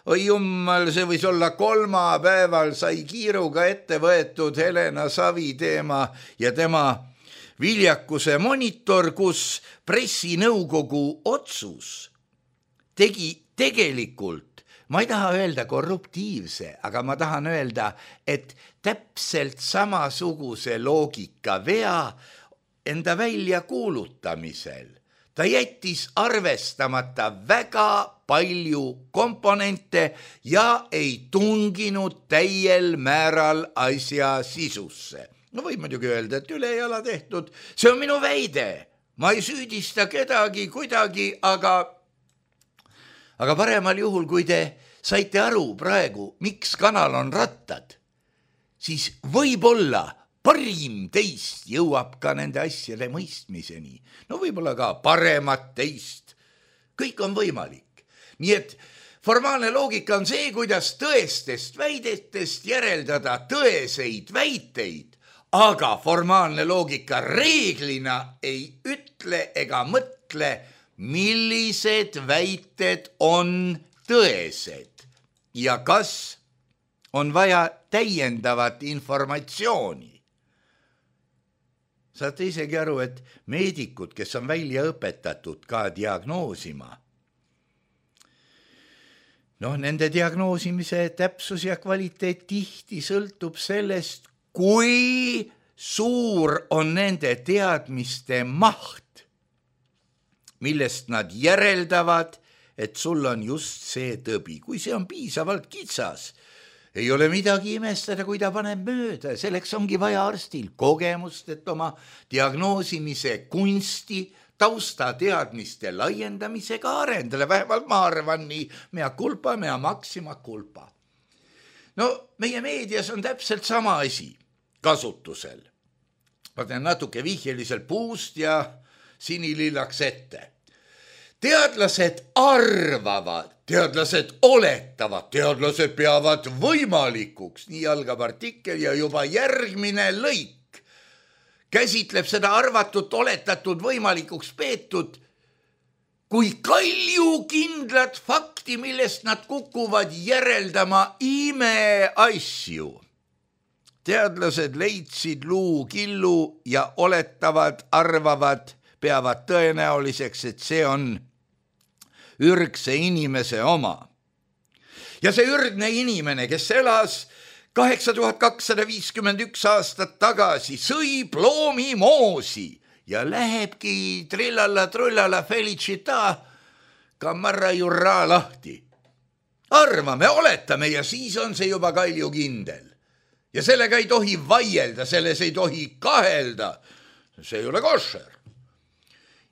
Oi jummal, see võis olla kolmapäeval, sai kiiruga ette võetud Helena Savi teema ja tema viljakuse monitor, kus pressinõukogu otsus tegi tegelikult, ma ei taha öelda korruptiivse, aga ma tahan öelda, et täpselt samasuguse loogika vea enda välja kuulutamisel. Ta jättis arvestamata väga palju komponente ja ei tunginud täiel määral asja sisusse. No võib muidugi öelda, et ülejala tehtud, see on minu väide. Ma ei süüdista kedagi kuidagi, aga, aga paremal juhul, kui te saite aru praegu, miks kanal on rattad, siis võib-olla parim teist jõuab ka nende asjade mõistmiseni. No võib-olla ka paremat teist. Kõik on võimalik. Nii et formaalne loogika on see, kuidas tõestest väidetest järeldada tõeseid väiteid, aga formaalne loogika reeglina ei ütle ega mõtle, millised väited on tõesed ja kas on vaja täiendavat informatsiooni. Saate isegi aru, et meedikud, kes on välja õpetatud ka diagnoosima, noh, nende diagnoosimise täpsus ja kvaliteet tihti sõltub sellest, kui suur on nende teadmiste maht, millest nad järeldavad, et sul on just see tõbi. Kui see on piisavalt kitsas, ei ole midagi imestada, kui ta paneb mööda. Selleks ongi vaja arstil kogemust, et oma diagnoosimise kunsti tausta teadmiste laiendamisega arendada. Vähemalt ma arvan nii, mea culpa, mea maxima culpa. No meie meedias on täpselt sama asi kasutusel. Ma teen natuke vihjeliselt puust ja sinilillaks ette. Teadlased arvavad, teadlased oletavad, teadlased peavad võimalikuks, nii algab artikkel ja juba järgmine lõik käsitleb seda arvatut, oletatud, võimalikuks peetud kui kaljukindlat fakti, millest nad kukuvad järeldama imeasju. Teadlased leidsid luu killu ja oletavad, arvavad, peavad tõenäoliseks, et see on ürgse inimese oma. Ja see ürgne inimene, kes elas kaheksa tuhat kakssada viiskümmend üks aastat tagasi, sõi ploomimoosi ja lähebki trillalla trullalla felicita kamarra jurra lahti. Arvame, oletame ja siis on see juba kaljukindel. Ja sellega ei tohi vaielda, selles ei tohi kahelda. See ei ole košer.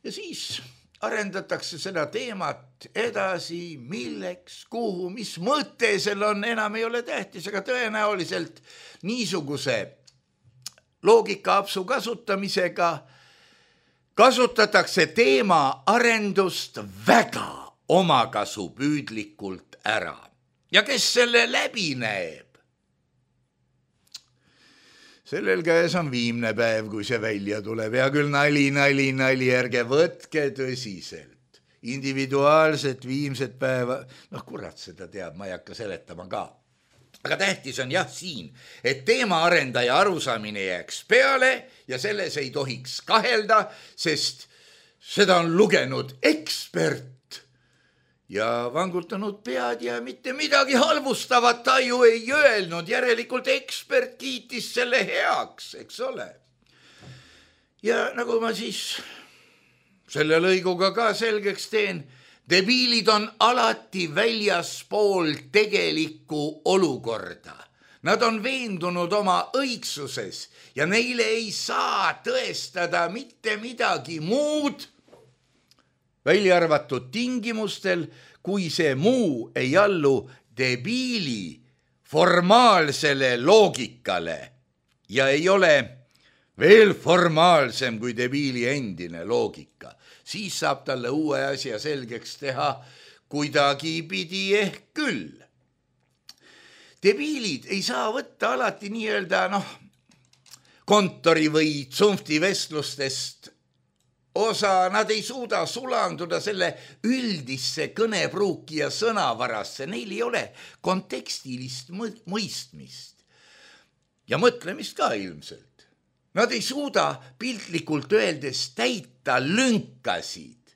Ja siis arendatakse seda teemat edasi, milleks, kuhu, mis mõte sel on, enam ei ole tähtis, aga tõenäoliselt niisuguse loogikaapsu kasutamisega kasutatakse teema arendust väga omakasupüüdlikult ära. Ja kes selle läbi näeb? Sellel käes on viimne päev, kui see välja tuleb. Ja küll nali, nali, nali, ärge võtke tõsiselt. Individuaalset viimset päeva, noh kurat seda teab, ma ei hakka seletama ka. Aga tähtis on jah siin, et teema arendaja arusaamine jääks peale ja selles ei tohiks kahelda, sest seda on lugenud ekspert ja vangutanud pead ja mitte midagi halvustavat ta ju ei öelnud. Järelikult ekspert kiitis selle heaks, eks ole. Ja nagu ma siis selle lõiguga ka selgeks teen, debiilid on alati väljaspool tegelikku olukorda. Nad on veendunud oma õigsuses ja neile ei saa tõestada mitte midagi muud välja arvatud tingimustel, kui see muu ei allu debiili formaalsele loogikale ja ei ole veel formaalsem kui debiili endine loogika. Siis saab talle uue asja selgeks teha kuidagi pidi ehk küll. Debiilid ei saa võtta alati nii-öelda noh, kontori või tsunfti vestlustest osa, nad ei suuda sulanduda selle üldisse kõnepruuki ja sõnavarasse, neil ei ole kontekstilist mõistmist ja mõtlemist ka ilmselt. Nad ei suuda piltlikult öeldes täita lünkasid.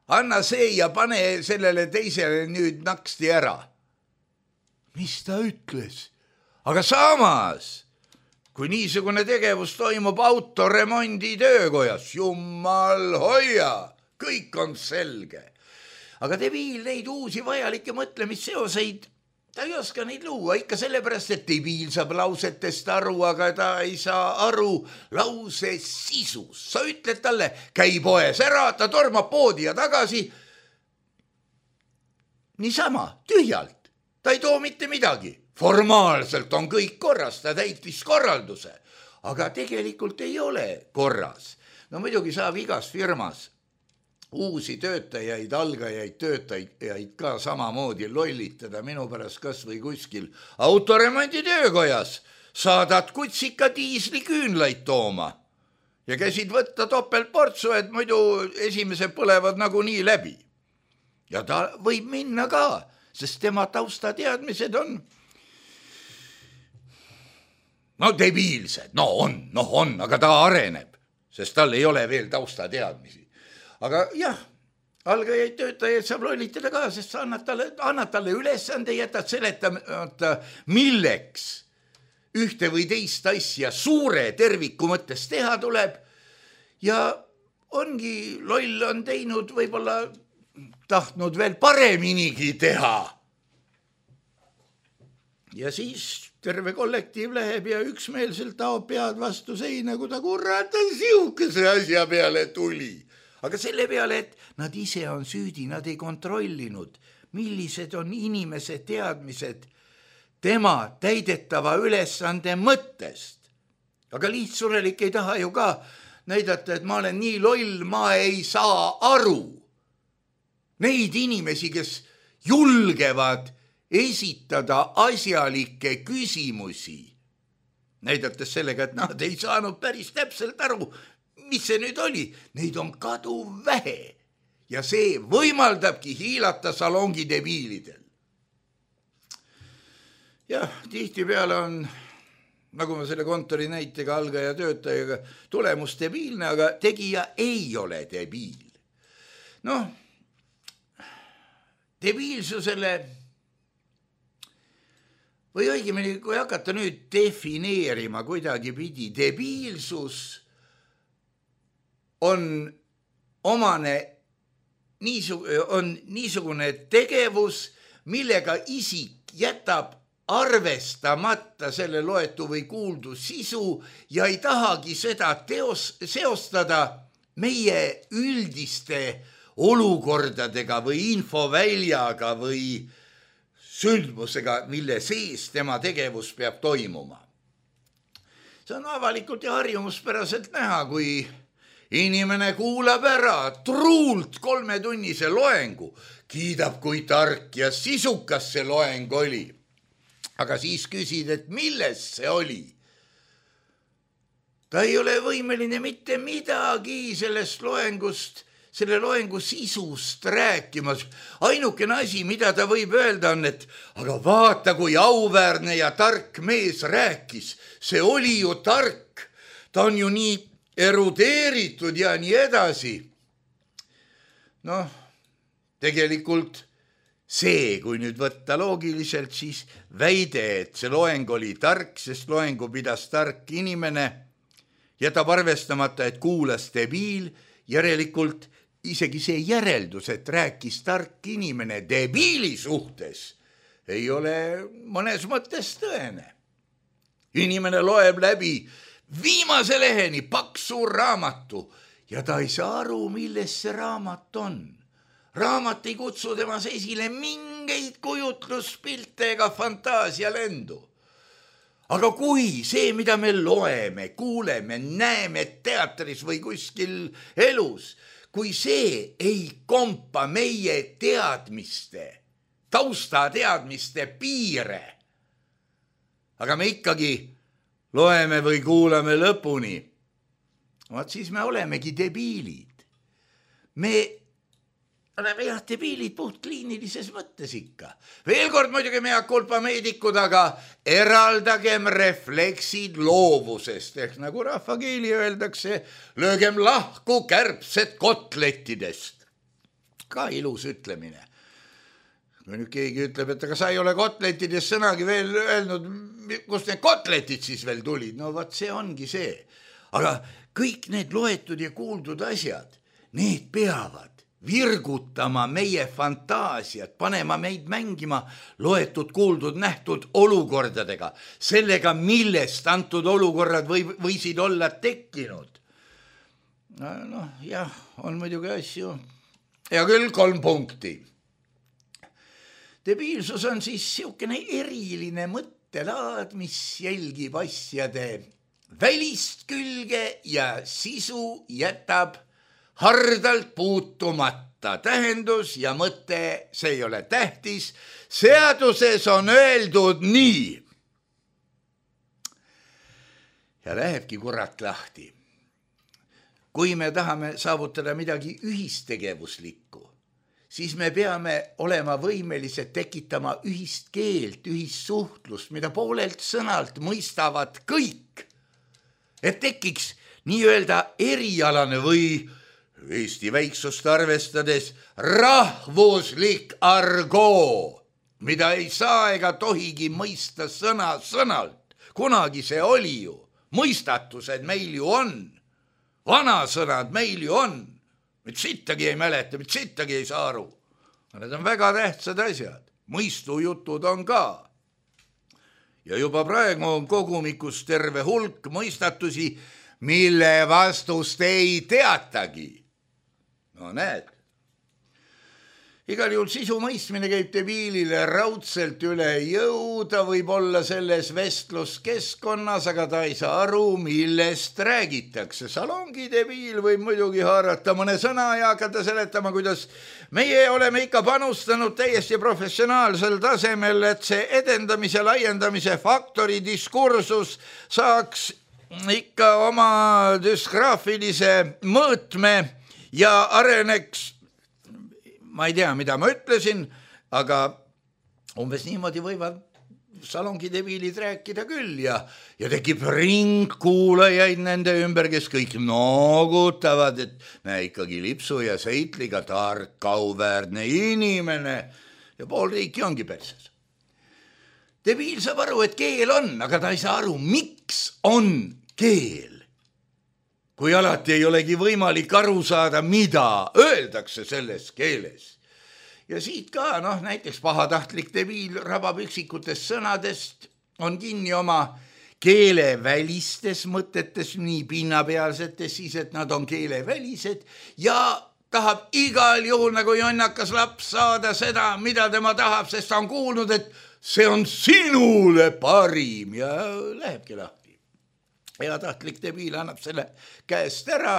Anna see ja pane sellele teisele nüüd naksti ära. Mis ta ütles? Aga samas, kui niisugune tegevus toimub autoremondi töökojas, jumal hoia, kõik on selge. Aga debiil neid uusi vajalikke mõtlemisseoseid, ta ei oska neid luua ikka sellepärast, et debiil saab lausetest aru, aga ta ei saa aru lause sisus. Sa ütled talle, käi poes ära, ta tormab poodi ja tagasi. Niisama, tühjalt, ta ei too mitte midagi. Formaalselt on kõik korras, ta täitis korralduse, aga tegelikult ei ole korras. No muidugi saab igas firmas uusi töötajaid, algajaid, töötajaid ka samamoodi lollitada minu pärast kas või kuskil autoremondi töökojas. Saadad kutsika diisli küünlaid tooma ja käisid võtta topeltportsu, et muidu esimesed põlevad nagunii läbi. Ja ta võib minna ka, sest tema taustateadmised on no debiilsed, no on, no on, aga ta areneb, sest tal ei ole veel taustateadmisi. Aga jah, algajaid töötajaid saab lollitada ka, sest sa annad talle, annad talle ülesande, jätad seletamata, milleks ühte või teist asja suure terviku mõttes teha tuleb ja ongi loll on teinud, võib-olla tahtnud veel pareminigi teha. Ja siis terve kollektiiv läheb ja üksmeelselt taob pead vastu seina, kui ta kurat siukese asja peale tuli. Aga selle peale, et nad ise on süüdi, nad ei kontrollinud, millised on inimese teadmised tema täidetava ülesande mõttest. Aga lihtsurelik ei taha ju ka näidata, et ma olen nii loll, ma ei saa aru. Neid inimesi, kes julgevad esitada asjalikke küsimusi, näidates sellega, et nad ei saanud päris täpselt aru, mis see nüüd oli, neid on kadu vähe ja see võimaldabki hiilata salongi debiilidel. Jah, tihti peale on, nagu ma selle kontori näitega algaja töötajaga, tulemus debiilne, aga tegija ei ole debiil. Noh, debiilsusele või õigemini, kui hakata nüüd defineerima kuidagi pidi, debiilsus on omane niisugune, on niisugune tegevus, millega isik jätab arvestamata selle loetu või kuuldu sisu ja ei tahagi seda teos, seostada meie üldiste olukordadega või infoväljaga või sündmusega, mille sees tema tegevus peab toimuma. See on avalikult ja harjumuspäraselt näha, kui inimene kuulab ära truult kolmetunnise loengu, kiidab, kui tark ja sisukas see loeng oli. Aga siis küsid, et milles see oli? Ta ei ole võimeline mitte midagi sellest loengust, selle loengu sisust rääkimas. Ainukene asi, mida ta võib öelda on, et aga vaata, kui auväärne ja tark mees rääkis. See oli ju tark. Ta on ju nii erudeeritud ja nii edasi. Noh, tegelikult see, kui nüüd võtta loogiliselt, siis väide, et see loeng oli tark, sest loengu pidas tark inimene, jätab arvestamata, et kuulas debiil, järelikult isegi see järeldus, et rääkis tark inimene debiili suhtes, ei ole mõnes mõttes tõene. Inimene loeb läbi viimase leheni paksu raamatu ja ta ei saa aru, milles see raamat on. raamat ei kutsu temas esile mingeid kujutluspilte ega fantaasialendu. Aga kui see, mida me loeme, kuuleme, näeme teatris või kuskil elus, kui see ei kompa meie teadmiste, taustateadmiste piire, aga me ikkagi loeme või kuulame lõpuni, vaat siis me olemegi debiilid. Me oleme jah debiilid puht kliinilises mõttes ikka. Veel kord muidugi mea culpa meedikud, aga eraldagem refleksid loovusest, ehk nagu rahvakeeli öeldakse, löögem lahku kärbsed kotlettidest. Ka ilus ütlemine. Kui nüüd keegi ütleb, et aga sa ei ole kotlettidest sõnagi veel öelnud, kust need kotletid siis veel tulid? No vaat see ongi see. Aga kõik need loetud ja kuuldud asjad, need peavad virgutama meie fantaasiat, panema meid mängima loetud, kuuldud, nähtud olukordadega, sellega, millest antud olukorrad või, võisid olla tekkinud. Noh, jah, on muidugi asju. Ja küll kolm punkti. Debiilsus on siis siukene eriline mõttelaad, mis jälgib asjade välist külge ja sisu jätab hardalt puutumata. Tähendus ja mõte, see ei ole tähtis. Seaduses on öeldud nii. Ja lähebki kurat lahti. Kui me tahame saavutada midagi ühistegevuslikku, siis me peame olema võimelised tekitama ühist keelt, ühist suhtlust, mida poolelt sõnalt mõistavad kõik. Et tekiks nii-öelda erialane või Eesti väiksust arvestades rahvuslik argoo, mida ei saa ega tohigi mõista sõna sõnalt. Kunagi see oli ju. Mõistatused meil ju on. Vanasõnad meil ju on. Mit sittagi ei mäleta, mit sittagi ei saa aru. Need on väga tähtsad asjad. Mõistujutud on ka. Ja juba praegu on kogumikus terve hulk mõistatusi, mille vastust ei teatagi. No näed. Igal juhul sisu mõistmine käib debiilile raudselt üle jõu, ta võib olla selles vestluskeskkonnas, aga ta ei saa aru, millest räägitakse. Salongi debiil võib muidugi haarata mõne sõna ja hakata seletama, kuidas meie oleme ikka panustanud täiesti professionaalsel tasemel, et see edendamise, laiendamise faktori diskursus saaks ikka oma düsgraafilise mõõtme ja areneks, ma ei tea, mida ma ütlesin, aga umbes niimoodi võivad salongi debiilid rääkida küll ja, ja tekib ring kuulajaid nende ümber, kes kõik noogutavad, et näe ikkagi lipsu ja seitliga tark, kauväärne inimene ja pool riiki ongi perses. Debiil saab aru, et keel on, aga ta ei saa aru, miks on keel. Kui alati ei olegi võimalik aru saada, mida öeldakse selles keeles. Ja siit ka, noh, näiteks pahatahtlik debiil rabab üksikutest sõnadest, on kinni oma keelevälistes mõtetes, nii pinnapealsetes siis, et nad on keelevälised ja tahab igal juhul nagu jonnakas laps saada seda, mida tema tahab, sest ta on kuulnud, et see on sinule parim ja lähebki lahti. Heatahtlik debiil annab selle käest ära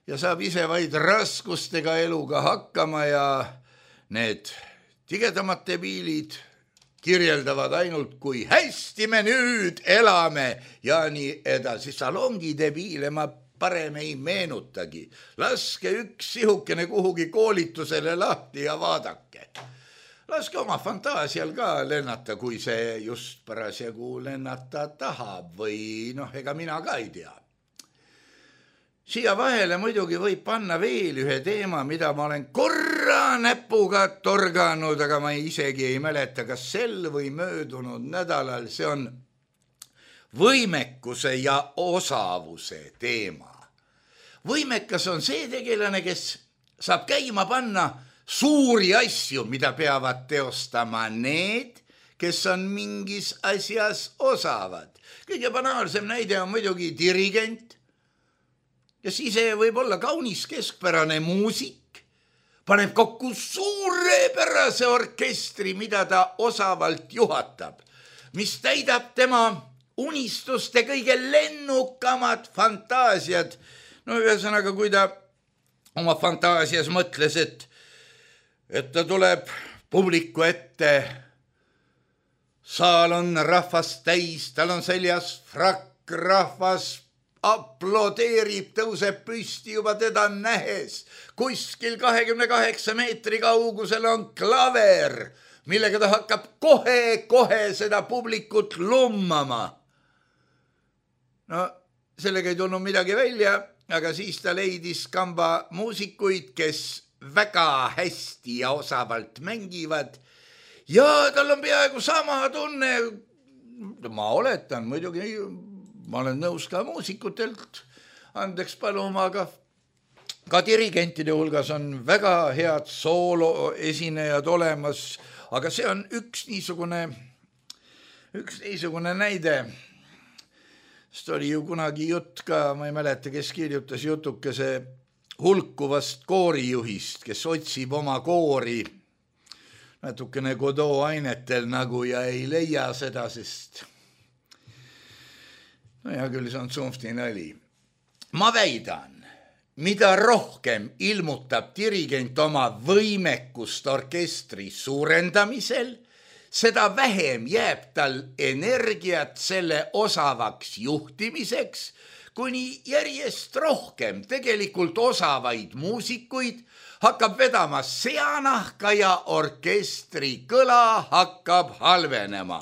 ja saab ise vaid raskustega eluga hakkama ja need tigedamad debiilid kirjeldavad ainult, kui hästi me nüüd elame ja nii edasi. Salongi debiile ma parem ei meenutagi. Laske üks sihukene kuhugi koolitusele lahti ja vaadake. Laske oma fantaasial ka lennata, kui see just parasjagu lennata tahab või noh, ega mina ka ei tea. Siia vahele muidugi võib panna veel ühe teema, mida ma olen korra näpuga torganud, aga ma isegi ei mäleta, kas sel või möödunud nädalal. See on võimekuse ja osavuse teema. Võimekas on see tegelane, kes saab käima panna suuri asju, mida peavad teostama need, kes on mingis asjas osavad. Kõige banaalsem näide on muidugi dirigent, kes ise võib olla kaunis keskpärane muusik, paneb kokku suurepärase orkestri, mida ta osavalt juhatab, mis täidab tema unistuste kõige lennukamad fantaasiad. No ühesõnaga, kui ta oma fantaasias mõtles, et, et ta tuleb publiku ette, saal on rahvast täis, tal on seljas frakk, rahvas aplodeerib, tõuseb püsti juba teda nähes. Kuskil kahekümne kaheksa meetri kaugusel on klaver, millega ta hakkab kohe-kohe seda publikut lummama. No sellega ei tulnud midagi välja, aga siis ta leidis kamba muusikuid, kes väga hästi ja osavalt mängivad ja tal on peaaegu sama tunne. Ma oletan, muidugi ma olen nõus ka muusikutelt andeks paluma, aga ka dirigentide hulgas on väga head soolo esinejad olemas, aga see on üks niisugune, üks niisugune näide. Sest oli ju kunagi jutt ka, ma ei mäleta, kes kirjutas jutukese hulkuvast koorijuhist, kes otsib oma koori natukene Godot ainetel nagu ja ei leia seda, sest no hea küll, see on tsunfti nali. Ma väidan, mida rohkem ilmutab dirigent oma võimekust orkestri suurendamisel, seda vähem jääb tal energiat selle osavaks juhtimiseks, kuni järjest rohkem tegelikult osavaid muusikuid hakkab vedama seanahka ja orkestri kõla hakkab halvenema.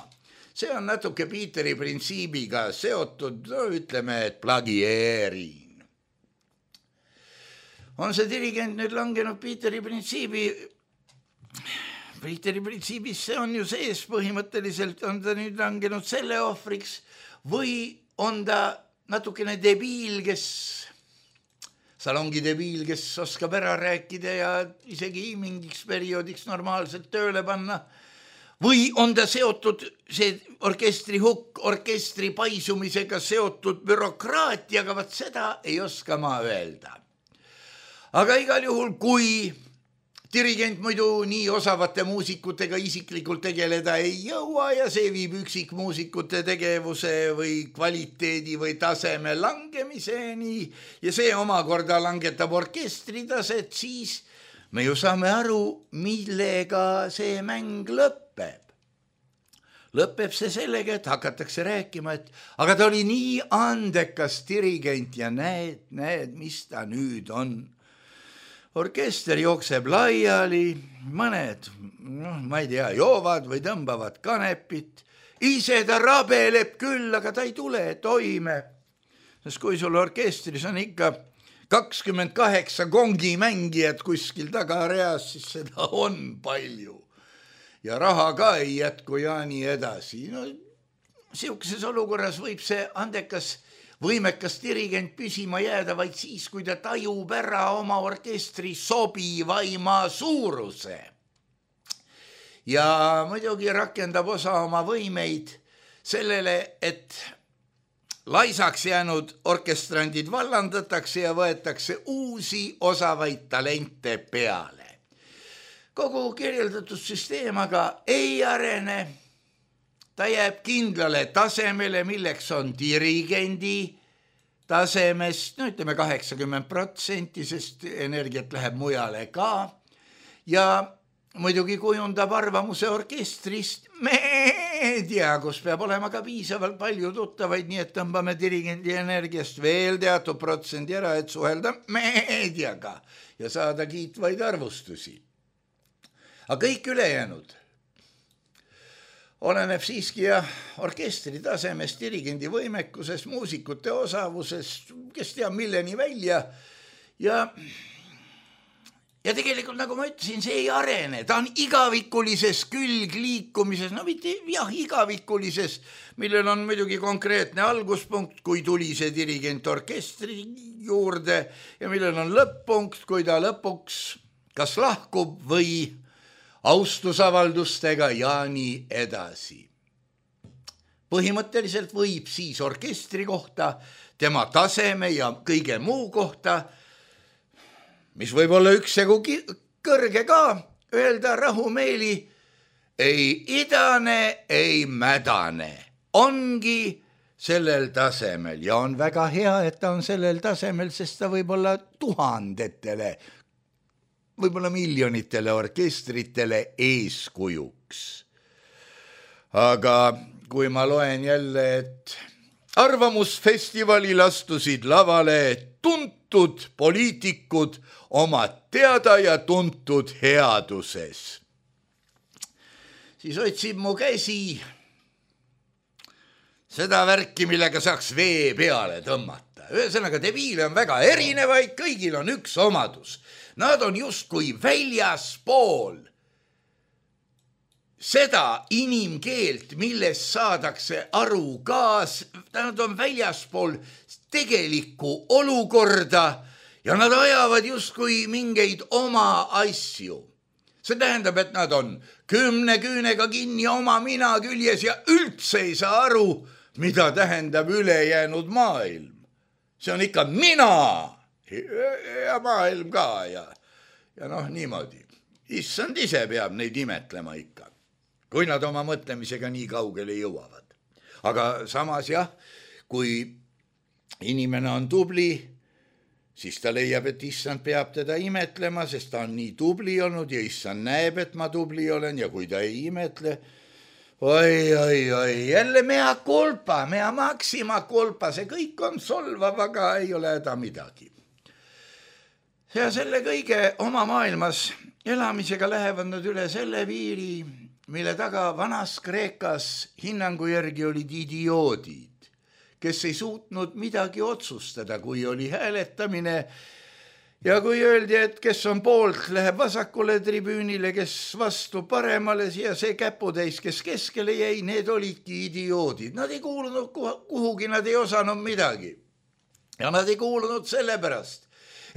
See on natuke Peteri printsiibiga seotud, no ütleme, et plagieerin. On see dirigent nüüd langenud Peteri printsiibi? Peteri printsiibis see on ju sees põhimõtteliselt, on ta nüüd langenud selle ohvriks või on ta natukene debiil, kes, salongi debiil, kes oskab ära rääkida ja isegi mingiks perioodiks normaalselt tööle panna. Või on ta seotud, see orkestri hukk, orkestri paisumisega seotud bürokraatiaga, vaat seda ei oska ma öelda. Aga igal juhul, kui dirigent muidu nii osavate muusikutega isiklikult tegeleda ei jõua ja see viib üksikmuusikute tegevuse või kvaliteedi või taseme langemiseni ja see omakorda langetab orkestri taset, siis me ju saame aru, millega see mäng lõpeb. Lõpeb see sellega, et hakatakse rääkima, et aga ta oli nii andekas dirigent ja näed, näed, mis ta nüüd on. Orkester jookseb laiali, mõned, no, ma ei tea, joovad või tõmbavad kanepit. Ise ta rabeleb küll, aga ta ei tule toime. Sest kui sul orkestris on ikka kakskümmend kaheksa kongimängijat kuskil tagareas, siis seda on palju. Ja raha ka ei jätku ja nii edasi. No, siukeses olukorras võib see andekas võimekas dirigent püsima jääda vaid siis, kui ta tajub ära oma orkestri sobivaima suuruse. Ja muidugi rakendab osa oma võimeid sellele, et laisaks jäänud orkestrandid vallandatakse ja võetakse uusi osavaid talente peale. Kogu kirjeldatud süsteem aga ei arene. Ta jääb kindlale tasemele, milleks on dirigendi tasemest, no ütleme kaheksakümmend protsenti, sest energiat läheb mujale ka. Ja muidugi kujundab arvamuse orkestrist meedia, kus peab olema ka piisavalt palju tuttavaid, nii et tõmbame dirigendi energiast veel teatud protsendi ära, et suhelda meediaga ja saada kiitvaid arvustusi. Aga kõik ülejäänud oleneb siiski ja orkestri tasemest, dirigendi võimekuses, muusikute osavuses, kes teab milleni välja. Ja, ja tegelikult, nagu ma ütlesin, see ei arene. Ta on igavikulises külgliikumises, no mitte jah, igavikulises, millel on muidugi konkreetne alguspunkt, kui tuli see dirigent orkestri juurde ja millel on lõpp-punkt, kui ta lõpuks kas lahkub või austusavaldustega ja nii edasi. Põhimõtteliselt võib siis orkestri kohta, tema taseme ja kõige muu kohta, mis võib olla üksjagu kõrge ka öelda rahumeeli ei idane, ei mädane, ongi sellel tasemel ja on väga hea, et ta on sellel tasemel, sest ta võib olla tuhandetele, võib-olla miljonitele orkestritele eeskujuks. Aga kui ma loen jälle, et arvamusfestivalil astusid lavale tuntud poliitikud oma teada ja tuntud headuses, siis otsib mu käsi seda värki, millega saaks vee peale tõmmata. Ühesõnaga, debiile on väga erinevaid, kõigil on üks omadus. Nad on justkui väljaspool seda inimkeelt, millest saadakse aru ka, nad on väljaspool tegelikku olukorda ja nad ajavad justkui mingeid oma asju. See tähendab, et nad on kümne küünega kinni oma mina küljes ja üldse ei saa aru, mida tähendab ülejäänud maailm. See on ikka mina ja maailm ka ja, ja noh, niimoodi. Issand ise peab neid imetlema ikka, kui nad oma mõtlemisega nii kaugele jõuavad. Aga samas jah, kui inimene on tubli, siis ta leiab, et issand peab teda imetlema, sest ta on nii tubli olnud ja issand näeb, et ma tubli olen ja kui ta ei imetle, oi, oi, oi, jälle mea kulpa, mea maksima kulpa, see kõik on solvav, aga ei ole häda midagi. Ja selle kõige oma maailmas elamisega lähevad nad üle selle piiri, mille taga vanas Kreekas hinnangu järgi olid idioodid, kes ei suutnud midagi otsustada, kui oli hääletamine ja kui öeldi, et kes on poolt, läheb vasakule tribüünile, kes vastu paremale ja see käputäis, kes keskele jäi, need olidki idioodid. Nad ei kuulunud kuhugi, nad ei osanud midagi. Ja nad ei kuulunud sellepärast,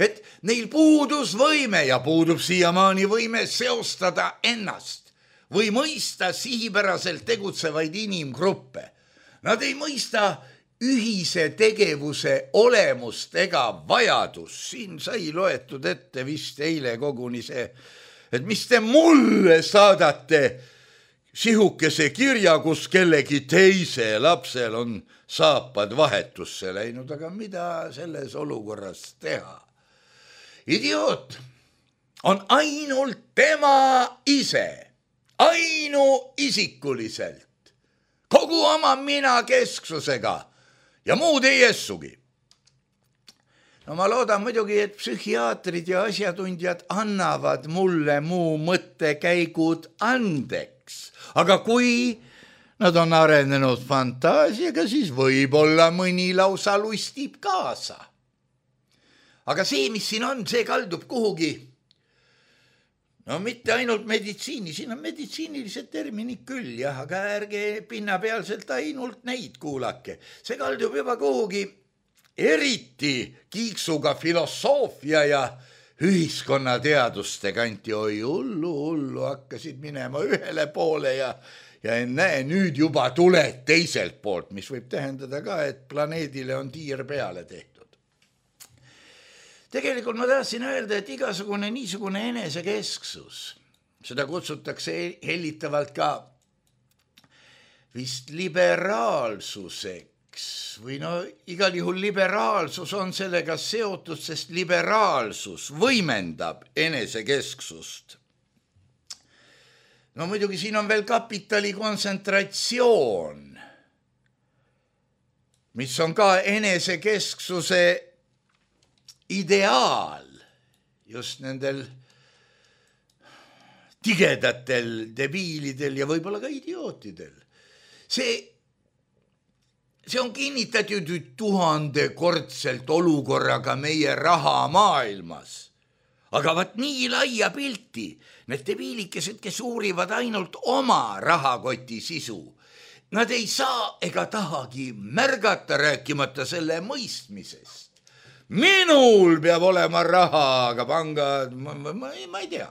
et neil puudus võime ja puudub siiamaani võime seostada ennast või mõista sihipäraselt tegutsevaid inimgruppe. Nad ei mõista ühise tegevuse olemust ega vajadus. Siin sai loetud ette vist eile koguni see, et mis te mulle saadate sihukese kirja, kus kellegi teise lapsel on saapad vahetusse läinud, aga mida selles olukorras teha? Idioot on ainult tema ise, ainuisikuliselt, kogu oma mina kesksusega ja muud ei essugi. No ma loodan muidugi, et psühhiaatrid ja asjatundjad annavad mulle muu mõttekäigud andeks, aga kui nad on arenenud fantaasiaga, siis võib-olla mõni lausa lustib kaasa. Aga see, mis siin on, see kaldub kuhugi. No mitte ainult meditsiini, siin on meditsiinilised terminid küll, jah, aga ärge pinnapealselt ainult neid kuulake. See kaldub juba kuhugi eriti kiiksuga filosoofia ja ühiskonnateaduste kanti. Oi, hullu, hullu hakkasid minema ühele poole ja, ja näe, nüüd juba tuled teiselt poolt, mis võib tähendada ka, et planeedile on tiir peale tehtud. Tegelikult ma tahtsin öelda, et igasugune niisugune enesekesksus, seda kutsutakse hellitavalt ka vist liberaalsuseks või no igal juhul liberaalsus on sellega seotud, sest liberaalsus võimendab enesekesksust. No muidugi siin on veel kapitali kontsentratsioon, mis on ka enesekesksuse ideaal just nendel tigedatel debiilidel ja võib-olla ka idiootidel. See, see on kinnitatud tuhandekordselt olukorraga meie rahamaailmas. Aga vaat nii laia pilti, need debiilikesed, kes uurivad ainult oma rahakoti sisu, nad ei saa ega tahagi märgata, rääkimata selle mõistmisest. Minul peab olema raha, aga pangad, ma, ma, ma ei tea.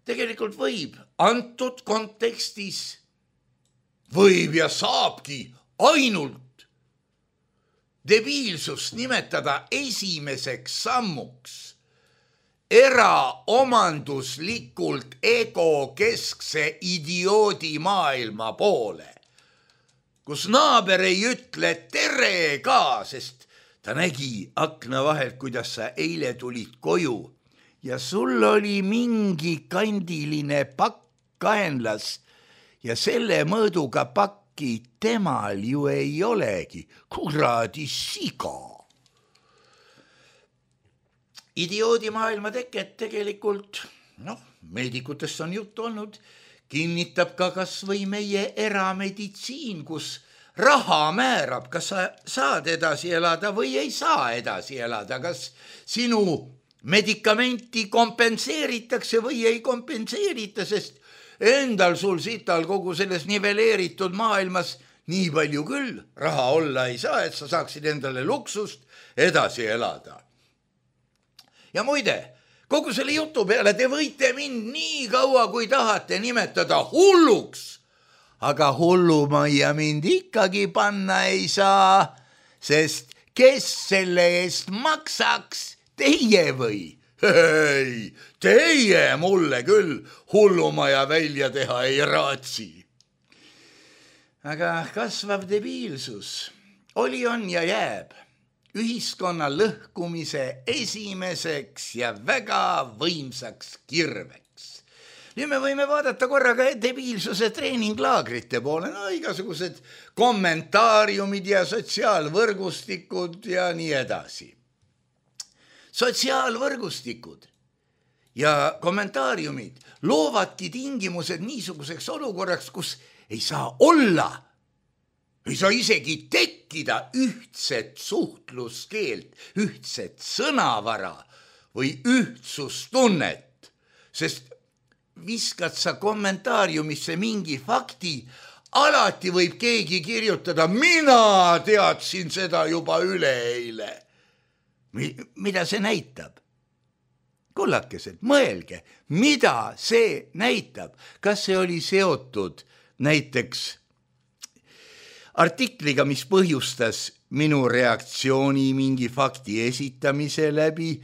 Tegelikult võib antud kontekstis, võib ja saabki ainult debiilsust nimetada esimeseks sammuks eraomanduslikult egokeskse idioodi maailma poole, kus naaber ei ütle tere ka, sest ta nägi akna vahelt, kuidas sa eile tulid koju ja sul oli mingi kandiline pakk kaenlas ja selle mõõduga pakki temal ju ei olegi, kuradi siga. Idioodi maailma teket tegelikult, noh, meedikutest on juttu olnud, kinnitab ka kas või meie erameditsiin, kus raha määrab, kas sa saad edasi elada või ei saa edasi elada, kas sinu medikamenti kompenseeritakse või ei kompenseerita, sest endal sul sital kogu selles niveleeritud maailmas nii palju küll raha olla ei saa, et sa saaksid endale luksust edasi elada. Ja muide, kogu selle jutu peale te võite mind nii kaua, kui tahate nimetada hulluks, aga hullumajja mind ikkagi panna ei saa, sest kes selle eest maksaks, teie või? Hei, teie mulle küll hullumaja välja teha ei raatsi. Aga kasvav debiilsus oli, on ja jääb ühiskonna lõhkumise esimeseks ja väga võimsaks kirveks. Nüüd me võime vaadata korraga debiilsuse treeninglaagrite poole, no igasugused kommentaariumid ja sotsiaalvõrgustikud ja nii edasi. Sotsiaalvõrgustikud ja kommentaariumid loovadki tingimused niisuguseks olukorraks, kus ei saa olla, ei saa isegi tekkida ühtset suhtluskeelt, ühtset sõnavara või ühtsustunnet, sest viskad sa kommentaariumisse mingi fakti, alati võib keegi kirjutada, mina teadsin seda juba üleeile. Mida see näitab? Kullakesed, mõelge, mida see näitab? Kas see oli seotud näiteks artikliga, mis põhjustas minu reaktsiooni mingi fakti esitamise läbi?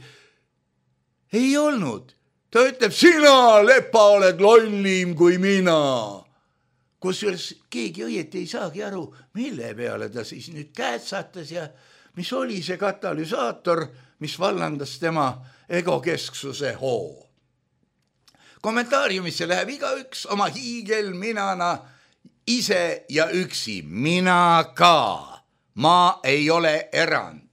Ei olnud. Ta ütleb, sina, Lepa, oled lollim kui mina. Kusjuures keegi õieti ei saagi aru, mille peale ta siis nüüd käetsatas ja mis oli see katalüsaator, mis vallandas tema egokesksuse hoo. Kommentaariumisse läheb igaüks oma hiigelminana ise ja üksi. Mina ka. Ma ei ole erand.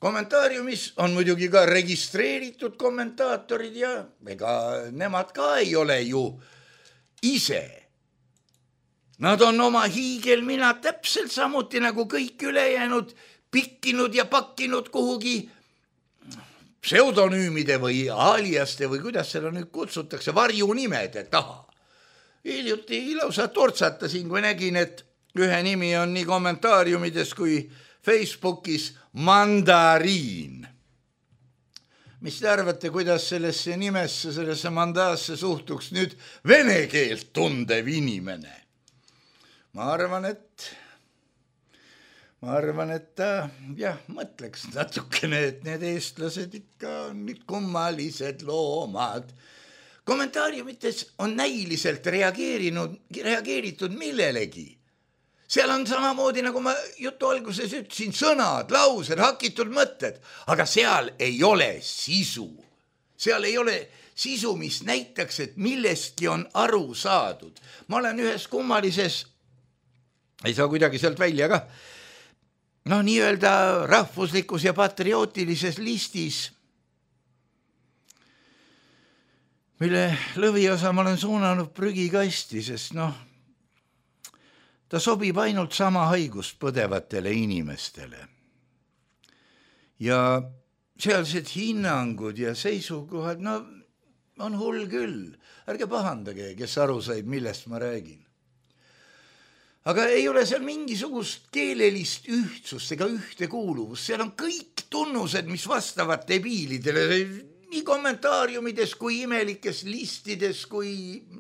Kommentaariumis on muidugi ka registreeritud kommentaatorid ja ega nemad ka ei ole ju ise. Nad on oma hiigelmina täpselt samuti nagu kõik ülejäänud pikkinud ja pakkinud kuhugi pseudonüümide või aliaste või kuidas seda nüüd kutsutakse, varjunimede taha. Hiljuti lausa tortsatasin, kui nägin, et ühe nimi on nii kommentaariumides kui Facebookis Mandariin. Mis te arvate, kuidas sellesse nimesse, sellesse mandaasse suhtuks nüüd vene keelt tundev inimene? Ma arvan, et ma arvan, et ta jah, mõtleks natukene, et need eestlased ikka on nüüd kummalised loomad. Kommentaariumites on näiliselt reageerinud, reageeritud millelegi. Seal on samamoodi, nagu ma jutu alguses ütlesin, sõnad, laused, hakitud mõtted, aga seal ei ole sisu. Seal ei ole sisu, mis näitaks, et millestki on aru saadud. Ma olen ühes kummalises, ei saa kuidagi sealt välja ka, no nii-öelda rahvuslikus ja patriootilises listis, mille lõviosa ma olen suunanud prügikasti, sest noh, ta sobib ainult sama haigust põdevatele inimestele. Ja sealsed hinnangud ja seisukohad, no on hull küll. Ärge pahandage, kes aru said, millest ma räägin. Aga ei ole seal mingisugust keelelist ühtsust ega ühtekuuluvust. Seal on kõik tunnused, mis vastavad debiilidele, nii kommentaariumides kui imelikes listides kui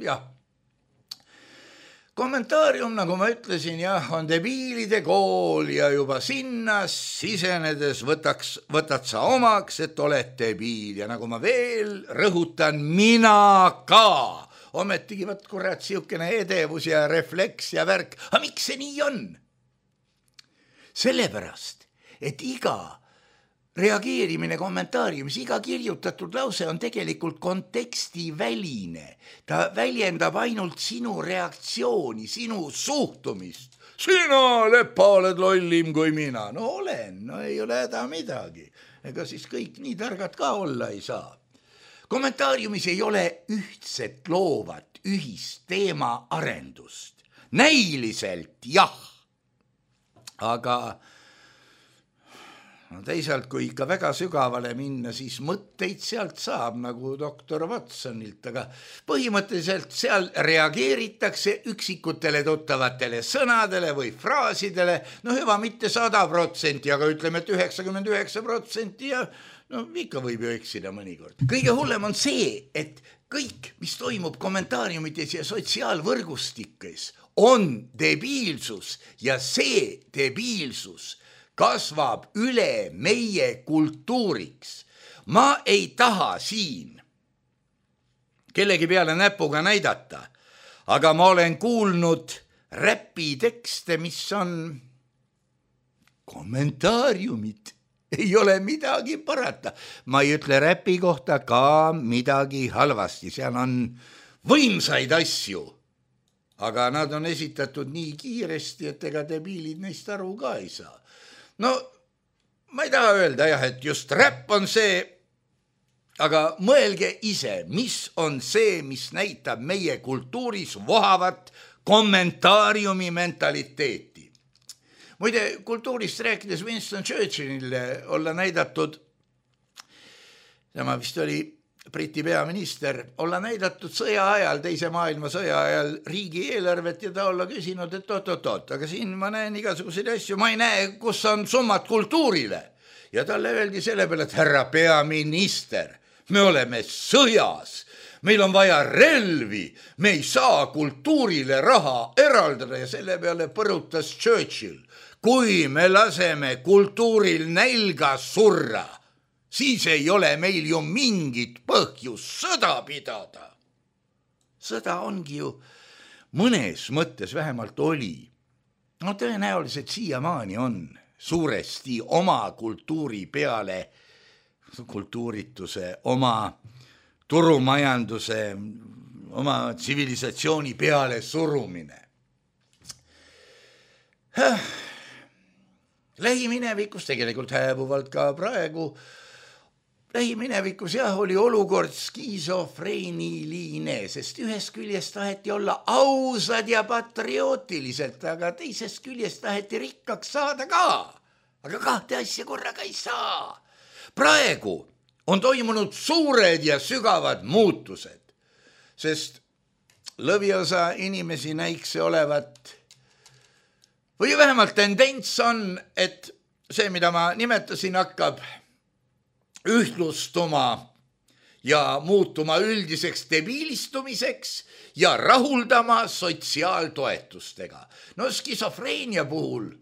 jah. kommentaarium, nagu ma ütlesin, jah, on debiilide kool ja juba sinna sisenedes võtaks, võtad sa omaks, et oled debiil ja nagu ma veel rõhutan, mina ka. Ometigi võt kurat siukene edevus ja refleks ja värk. Aga miks see nii on? Sellepärast, et iga reageerimine kommentaariumis, iga kirjutatud lause on tegelikult konteksti väline. Ta väljendab ainult sinu reaktsiooni, sinu suhtumist. Sina, Lepa, oled lollim kui mina. No olen, no ei ole häda midagi. Ega siis kõik nii targad ka olla ei saa. Kommentaariumis ei ole ühtset loovat, ühist teema arendust. Näiliselt jah, aga no teisalt, kui ikka väga sügavale minna, siis mõtteid sealt saab nagu doktor Watsonilt, aga põhimõtteliselt seal reageeritakse üksikutele tuttavatele sõnadele või fraasidele, no hüva mitte sada protsenti, aga ütleme, et üheksakümmend üheksa protsenti ja no ikka võib ju eksida mõnikord. Kõige hullem on see, et kõik, mis toimub kommentaariumites ja sotsiaalvõrgustikes, on debiilsus ja see debiilsus kasvab üle meie kultuuriks. Ma ei taha siin kellegi peale näpuga näidata, aga ma olen kuulnud räpitekste, mis on kommentaariumid. Ei ole midagi parata. Ma ei ütle räpi kohta ka midagi halvasti. Seal on võimsaid asju, aga nad on esitatud nii kiiresti, et ega debiilid neist aru ka ei saa. No ma ei taha öelda jah, et just räpp on see, aga mõelge ise, mis on see, mis näitab meie kultuuris vohavat kommentaariumi mentaliteeti. Muide, kultuurist rääkides Winston Churchillile olla näidatud, tema vist oli Briti peaminister, olla näidatud sõja ajal, teise maailmasõja ajal riigieelarvet ja ta olla küsinud, et oot-oot-oot, aga siin ma näen igasuguseid asju, ma ei näe, kus on summad kultuurile. Ja talle öeldi selle peale, et härra peaminister, me oleme sõjas, meil on vaja relvi, me ei saa kultuurile raha eraldada ja selle peale põrutas Churchill. Kui me laseme kultuuril nälga surra, siis ei ole meil ju mingit põhjust sõda pidada. Sõda ongi ju mõnes mõttes vähemalt oli. No tõenäoliselt siiamaani on suuresti oma kultuuri peale, kultuurituse, oma turumajanduse, oma tsivilisatsiooni peale surumine. Lähiminevikus, tegelikult hääbuvalt ka praegu, lähiminevikus jah, oli olukord skisofreeniline, sest ühest küljest taheti olla ausad ja patriootiliselt, aga teisest küljest taheti rikkaks saada ka. Aga kahte asja korraga ei saa. Praegu on toimunud suured ja sügavad muutused, sest lõviosa inimesi näikse olevat või vähemalt tendents on, et see, mida ma nimetasin, hakkab ühtlustuma ja muutuma üldiseks debiilistumiseks ja rahuldama sotsiaaltoetustega. No skisofreenia puhul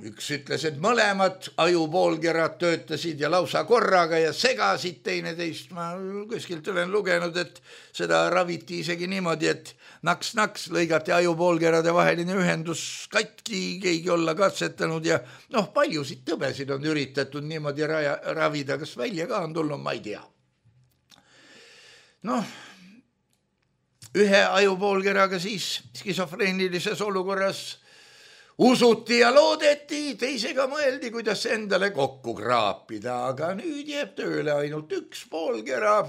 üks ütles, et mõlemad ajupoolkerad töötasid ja lausa korraga ja segasid teineteist. Ma kuskilt olen lugenud, et seda raviti isegi niimoodi, et naks-naks lõigati ajupoolkerade vaheline ühendus katki, keegi olla katsetanud ja noh, paljusid tõbesid on üritatud niimoodi raja, ravida, kas välja ka on tulnud, ma ei tea. Noh, ühe ajupoolkeraga siis skisofreenilises olukorras usuti ja loodeti, teisega mõeldi, kuidas endale kokku kraapida, aga nüüd jääb tööle ainult üks poolkera,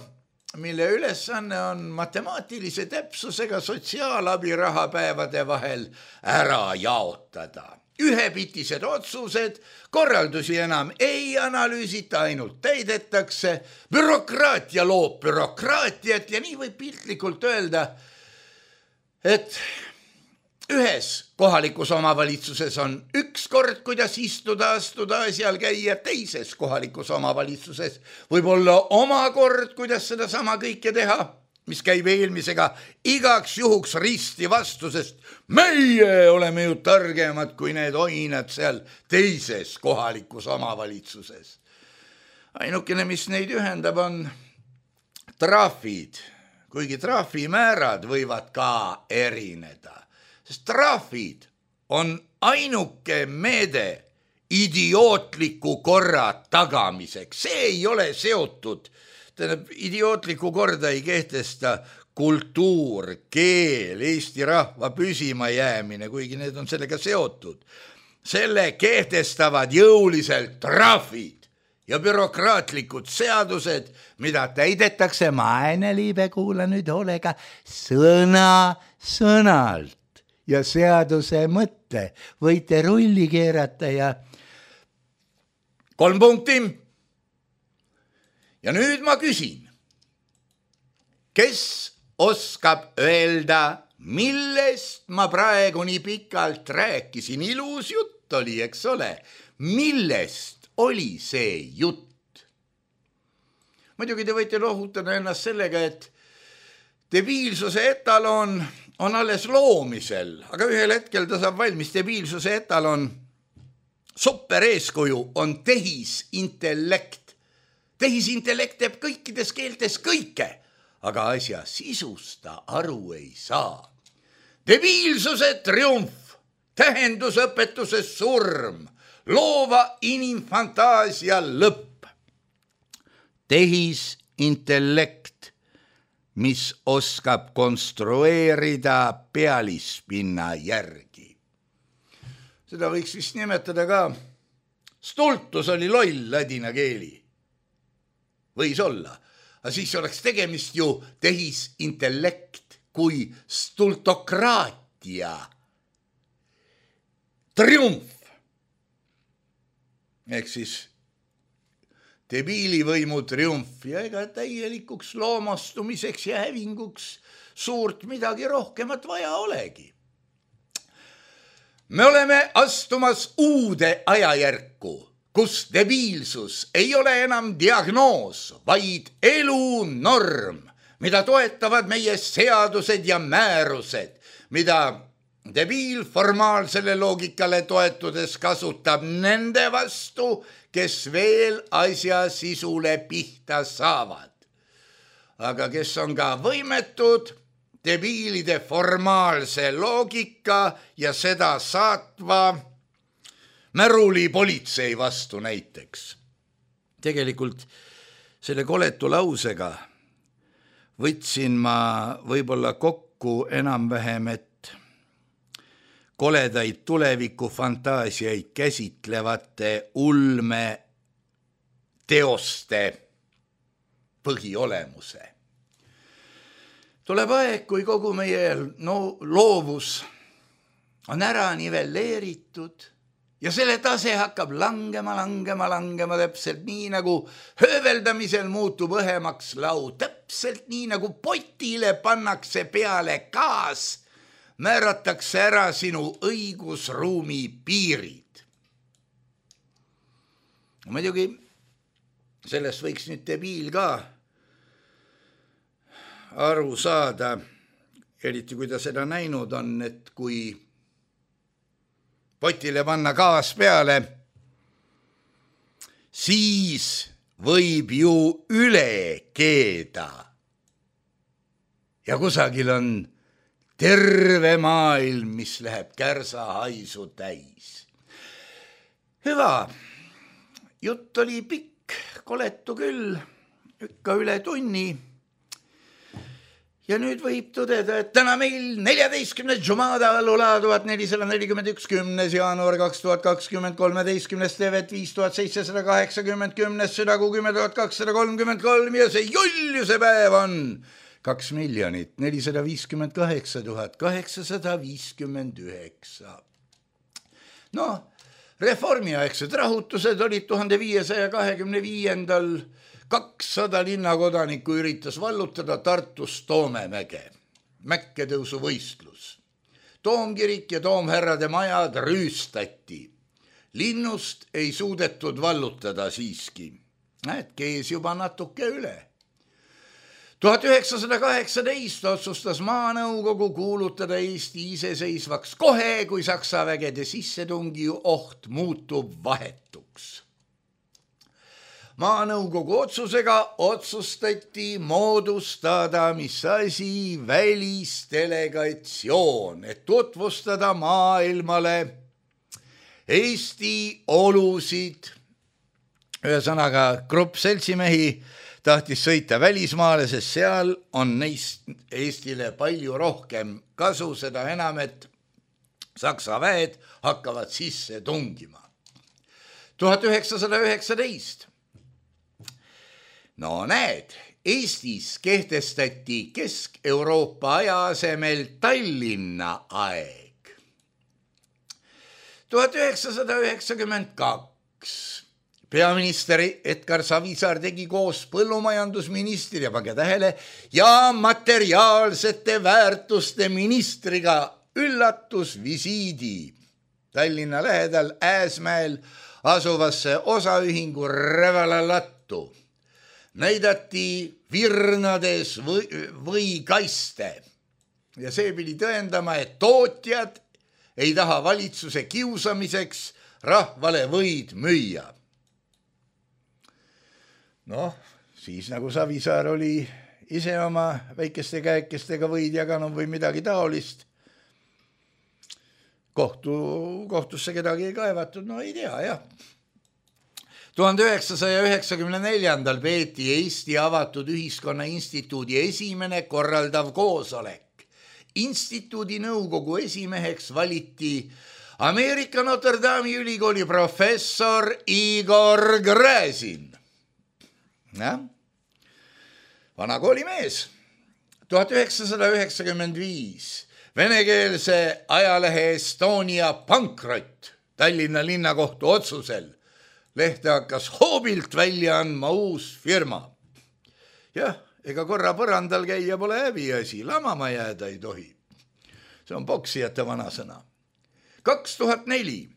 mille ülesanne on matemaatilise täpsusega sotsiaalabirahapäevade vahel ära jaotada. Ühepitised otsused, korraldusi enam ei analüüsita, ainult täidetakse, bürokraatia loob bürokraatiat ja nii võib piltlikult öelda, et ühes kohalikus omavalitsuses on üks kord, kuidas istuda, astuda, asjal käia, teises kohalikus omavalitsuses võib olla oma kord, kuidas seda sama kõike teha. mis käib eelmisega igaks juhuks risti vastu, sest meie oleme ju targemad kui need oinad seal teises kohalikus omavalitsuses. Ainukene, mis neid ühendab, on trahvid, kuigi trahvimäärad võivad ka erineda, sest trahvid on ainuke meede idiootliku korra tagamiseks. See ei ole seotud, tähendab, idiootliku korda ei kehtesta kultuur, keel, Eesti rahva püsima jäämine, kuigi need on sellega seotud. Selle kehtestavad jõuliselt trahvid ja bürokraatlikud seadused, mida täidetakse, Maeneliibe, kuula nüüd hoolega, sõna sõnalt ja seaduse mõtte võite rulli keerata ja kolm punkti. Ja nüüd ma küsin, kes oskab öelda, millest ma praegu nii pikalt rääkisin? Ilus jutt oli, eks ole? Millest oli see jutt? Muidugi te võite lohutada ennast sellega, et debiilsuse etalon on alles loomisel, aga ühel hetkel ta saab valmis. Debiilsuse etalon, super eeskuju on tehisintellekt. Tehisintellekt teeb kõikides keeltes kõike, aga asja sisust ta aru ei saa. Debiilsuse triumf, tähendusõpetuse surm, loova inimfantaasia lõpp. Tehisintellekt, mis oskab konstrueerida pealispinna järgi. Seda võiks vist nimetada ka, stultus oli loll ladina keeli. Võis olla, aga siis oleks tegemist ju tehisintellekt kui stultokraatia triumf. Ehk siis debiilivõimu triumf ja ega täielikuks loomastumiseks ja hävinguks suurt midagi rohkemat vaja olegi. Me oleme astumas uude ajajärku, kus debiilsus ei ole enam diagnoos, vaid elu norm, mida toetavad meie seadused ja määrused, mida debiil formaalsele loogikale toetudes kasutab nende vastu, kes veel asja sisule pihta saavad. Aga kes on ka võimetud debiilide formaalse loogika ja seda saatva märuli politsei vastu näiteks. Tegelikult selle koletu lausega võtsin ma võib-olla kokku enam-vähem, et koledaid tulevikufantaasiaid käsitlevate ulme teoste põhiolemuse. Tuleb aeg, kui kogu meie no, loovus on ära nivelleeritud ja selle tase hakkab langema, langema, langema täpselt nii, nagu hööveldamisel muutub õhemaks laud, täpselt nii, nagu potile pannakse peale gaas, määratakse ära sinu õigusruumi piirid. Muidugi sellest võiks nüüd debiil ka aru saada, eriti kui ta seda näinud on, et kui potile panna gaas peale, siis võib ju üle keeda. Ja kusagil on terve maailm, mis läheb kärsa haisu täis. Hüva, jutt oli pikk, koletu küll, ikka üle tunni. Ja nüüd võib tõdeda, et täna meil neljateistkümnes Jumada Lula tuhat nelisada nelikümmend üks, kümnes jaanuar kaks tuhat kakskümmend, kolmeteistkümnes Tevet viis tuhat seitsesada kaheksakümmend, kümnes Südagu kümme tuhat kakssada kolmkümmend kolm ja see juljuse päev on kaks miljonit nelisada viiskümmend kaheksa tuhat kaheksasada viiskümmend üheksa. No, reformiaegsed rahutused olid tuhande viiesaja kahekümne viiendal kakssada linnakodanikku üritas vallutada Tartus Toomemäge, mäkketõusu võistlus. Toomkirik ja toomherrade majad rüüstati. Linnust ei suudetud vallutada siiski. Näed, kees juba natuke üle. tuhat üheksasada kaheksateist otsustas Maanõukogu kuulutada Eesti iseseisvaks kohe, kui Saksa vägede sissetungi oht muutub vahetuks. Maanõukogu otsusega otsustati moodustada mis asi välisdelegatsioon, et tutvustada maailmale Eesti olusid. Ühesõnaga, grupp seltsimehi tahtis sõita välismaale, sest seal on neist Eestile palju rohkem kasu, seda enam, et Saksa väed hakkavad sisse tungima. tuhat üheksasada üheksateist. No näed, Eestis kehtestati Kesk-Euroopa aja asemel Tallinna aeg. tuhat üheksasada üheksakümmend kaks. Peaminister Edgar Savisaar tegi koos põllumajandusministri ja pange tähele ja materiaalsete väärtuste ministriga üllatusvisiidi Tallinna lähedal Ääsmäel asuvasse osaühingu Rävalalattu. Näidati virnades või, või kaiste ja see pidi tõendama, et tootjad ei taha valitsuse kiusamiseks rahvale võid müüa. Noh, siis nagu Savisaar oli ise oma väikeste käekestega võid jaganud või midagi taolist. Kohtu, kohtusse kedagi ei kaevatud, no ei tea, jah. tuhande üheksasaja üheksakümne neljandal peeti Eesti Avatud Ühiskonna Instituudi esimene korraldav koosolek. Instituudi nõukogu esimeheks valiti Ameerika Notre Dame'i ülikooli professor Igor Gräzin. Ja? Vana koolimees. tuhat üheksasada üheksakümmend viis. Venekeelse ajalehe Estonia pankrot Tallinna linnakohtu otsusel. Lehte hakkas hoobilt välja andma uus firma. Jah, ega korra põrandal käia pole häbiasi, lamama jääda ei tohi. See on poksijate vanasõna. kaks tuhat neli.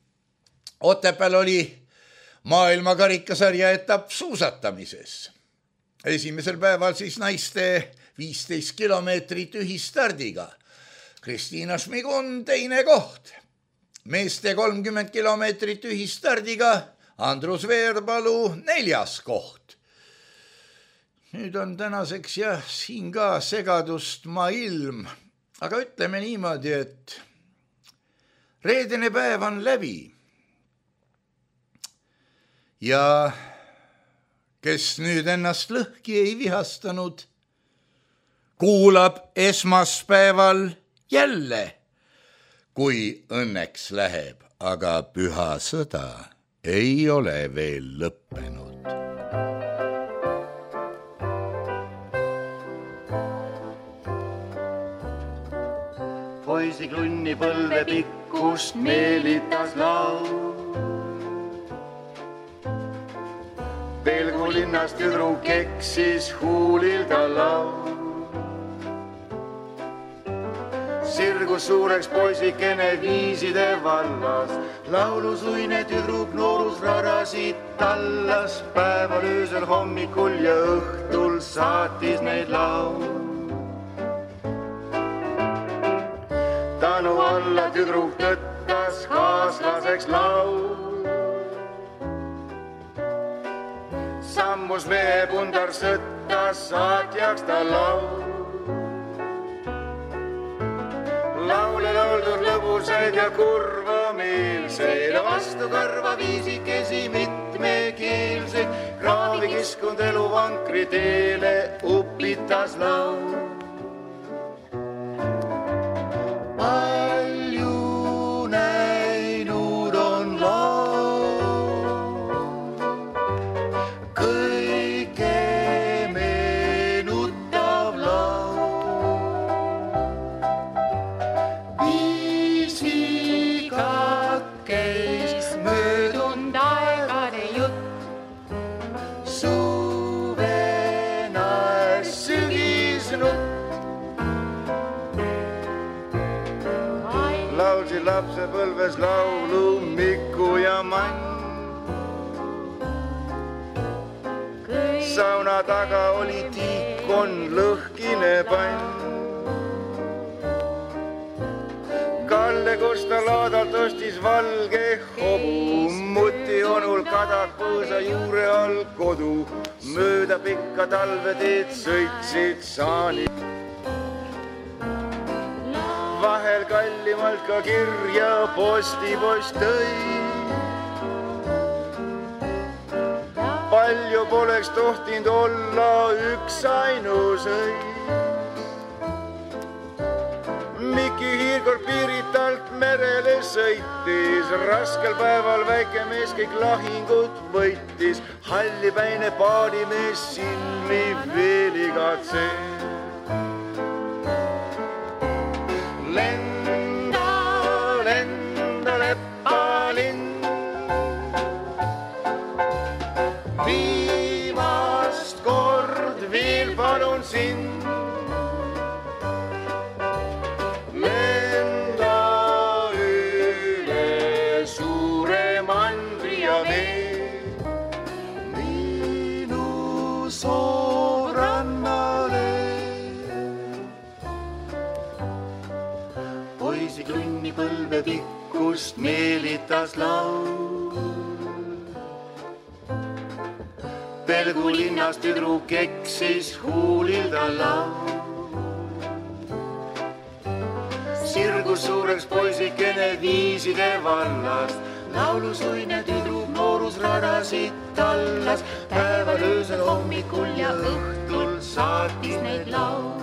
Otepääl oli maailma karikasarja etapp suusatamises. Esimesel päeval siis naiste viisteist kilomeetrit ühistardiga. Kristiina Šmigun teine koht. Meeste kolmkümmend kilomeetrit ühistardiga. Andrus Veerpalu neljas koht. Nüüd on tänaseks jah, siin ka segadust maailm. Aga ütleme niimoodi, et reedene päev on läbi. Ja kes nüüd ennast lõhki ei vihastanud, kuulab esmaspäeval jälle, kui õnneks läheb, aga püha sõda ei ole veel lõppenud. Poisi klunni põlve pikkust meelitas laul. Pelgu linnas tüdruk eksis huulil ta laul. Sirgus suureks poisikene viiside vallas. Laulusuine tüdruk noorus rarasid tallas. Päeval, öösel, hommikul ja õhtul saatis neid laul. Tänu alla tüdruk tõttas kaaslaseks laul. Sammus mehe pundar sõttas saatjaks ta laul. Laule lauldud lõbusaid ja kurvameelseid, vastu karva viisikesi mitmekeelseid, kraavi kiskund elu vankri teele upitas laul. Palju näinud on laul, kõige meenutav laul. Viisikat käis möödunud aegade jutt, suvenaes sügisnutt. Laulsi lapse põlves laulu Miku ja Mann. sauna taga oli tiikon lõhkine pann. Kalle Kosta laadalt ostis valge hobu, muti onul kadak põõsa juure all kodu. Mööda pikka talveteed sõitsid saanid. Vahel kallimalt ka kirja postipost tõi. Palju poleks tohtinud olla üks ainus õi. Miki Hiirkord Piiritalt merele sõitis, raskel päeval väike mees kõik lahingud võitis. Hallipäine paadimees silmi veel igatseb. Lenda, lenda lepalinn, viimast kord veel palun sind. Põlve pikkust meelitas laul. Pelgu linnas tüdruk eksis huulil ta laul. Sirgus suureks poisikene viiside vallast, laulusuine tüdruk noorus radasid tallas. Päeval öösel hommikul ja õhtul saatis neid laul.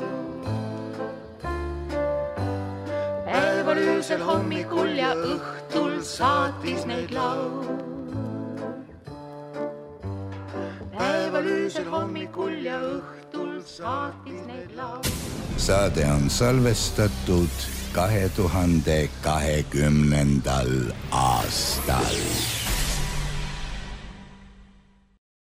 Öösel hommikul ja õhtul saatis neid laul. Päeval öösel hommikul ja õhtul saatis neid laul. Saade on salvestatud kahe tuhande kahekümnendal aastal.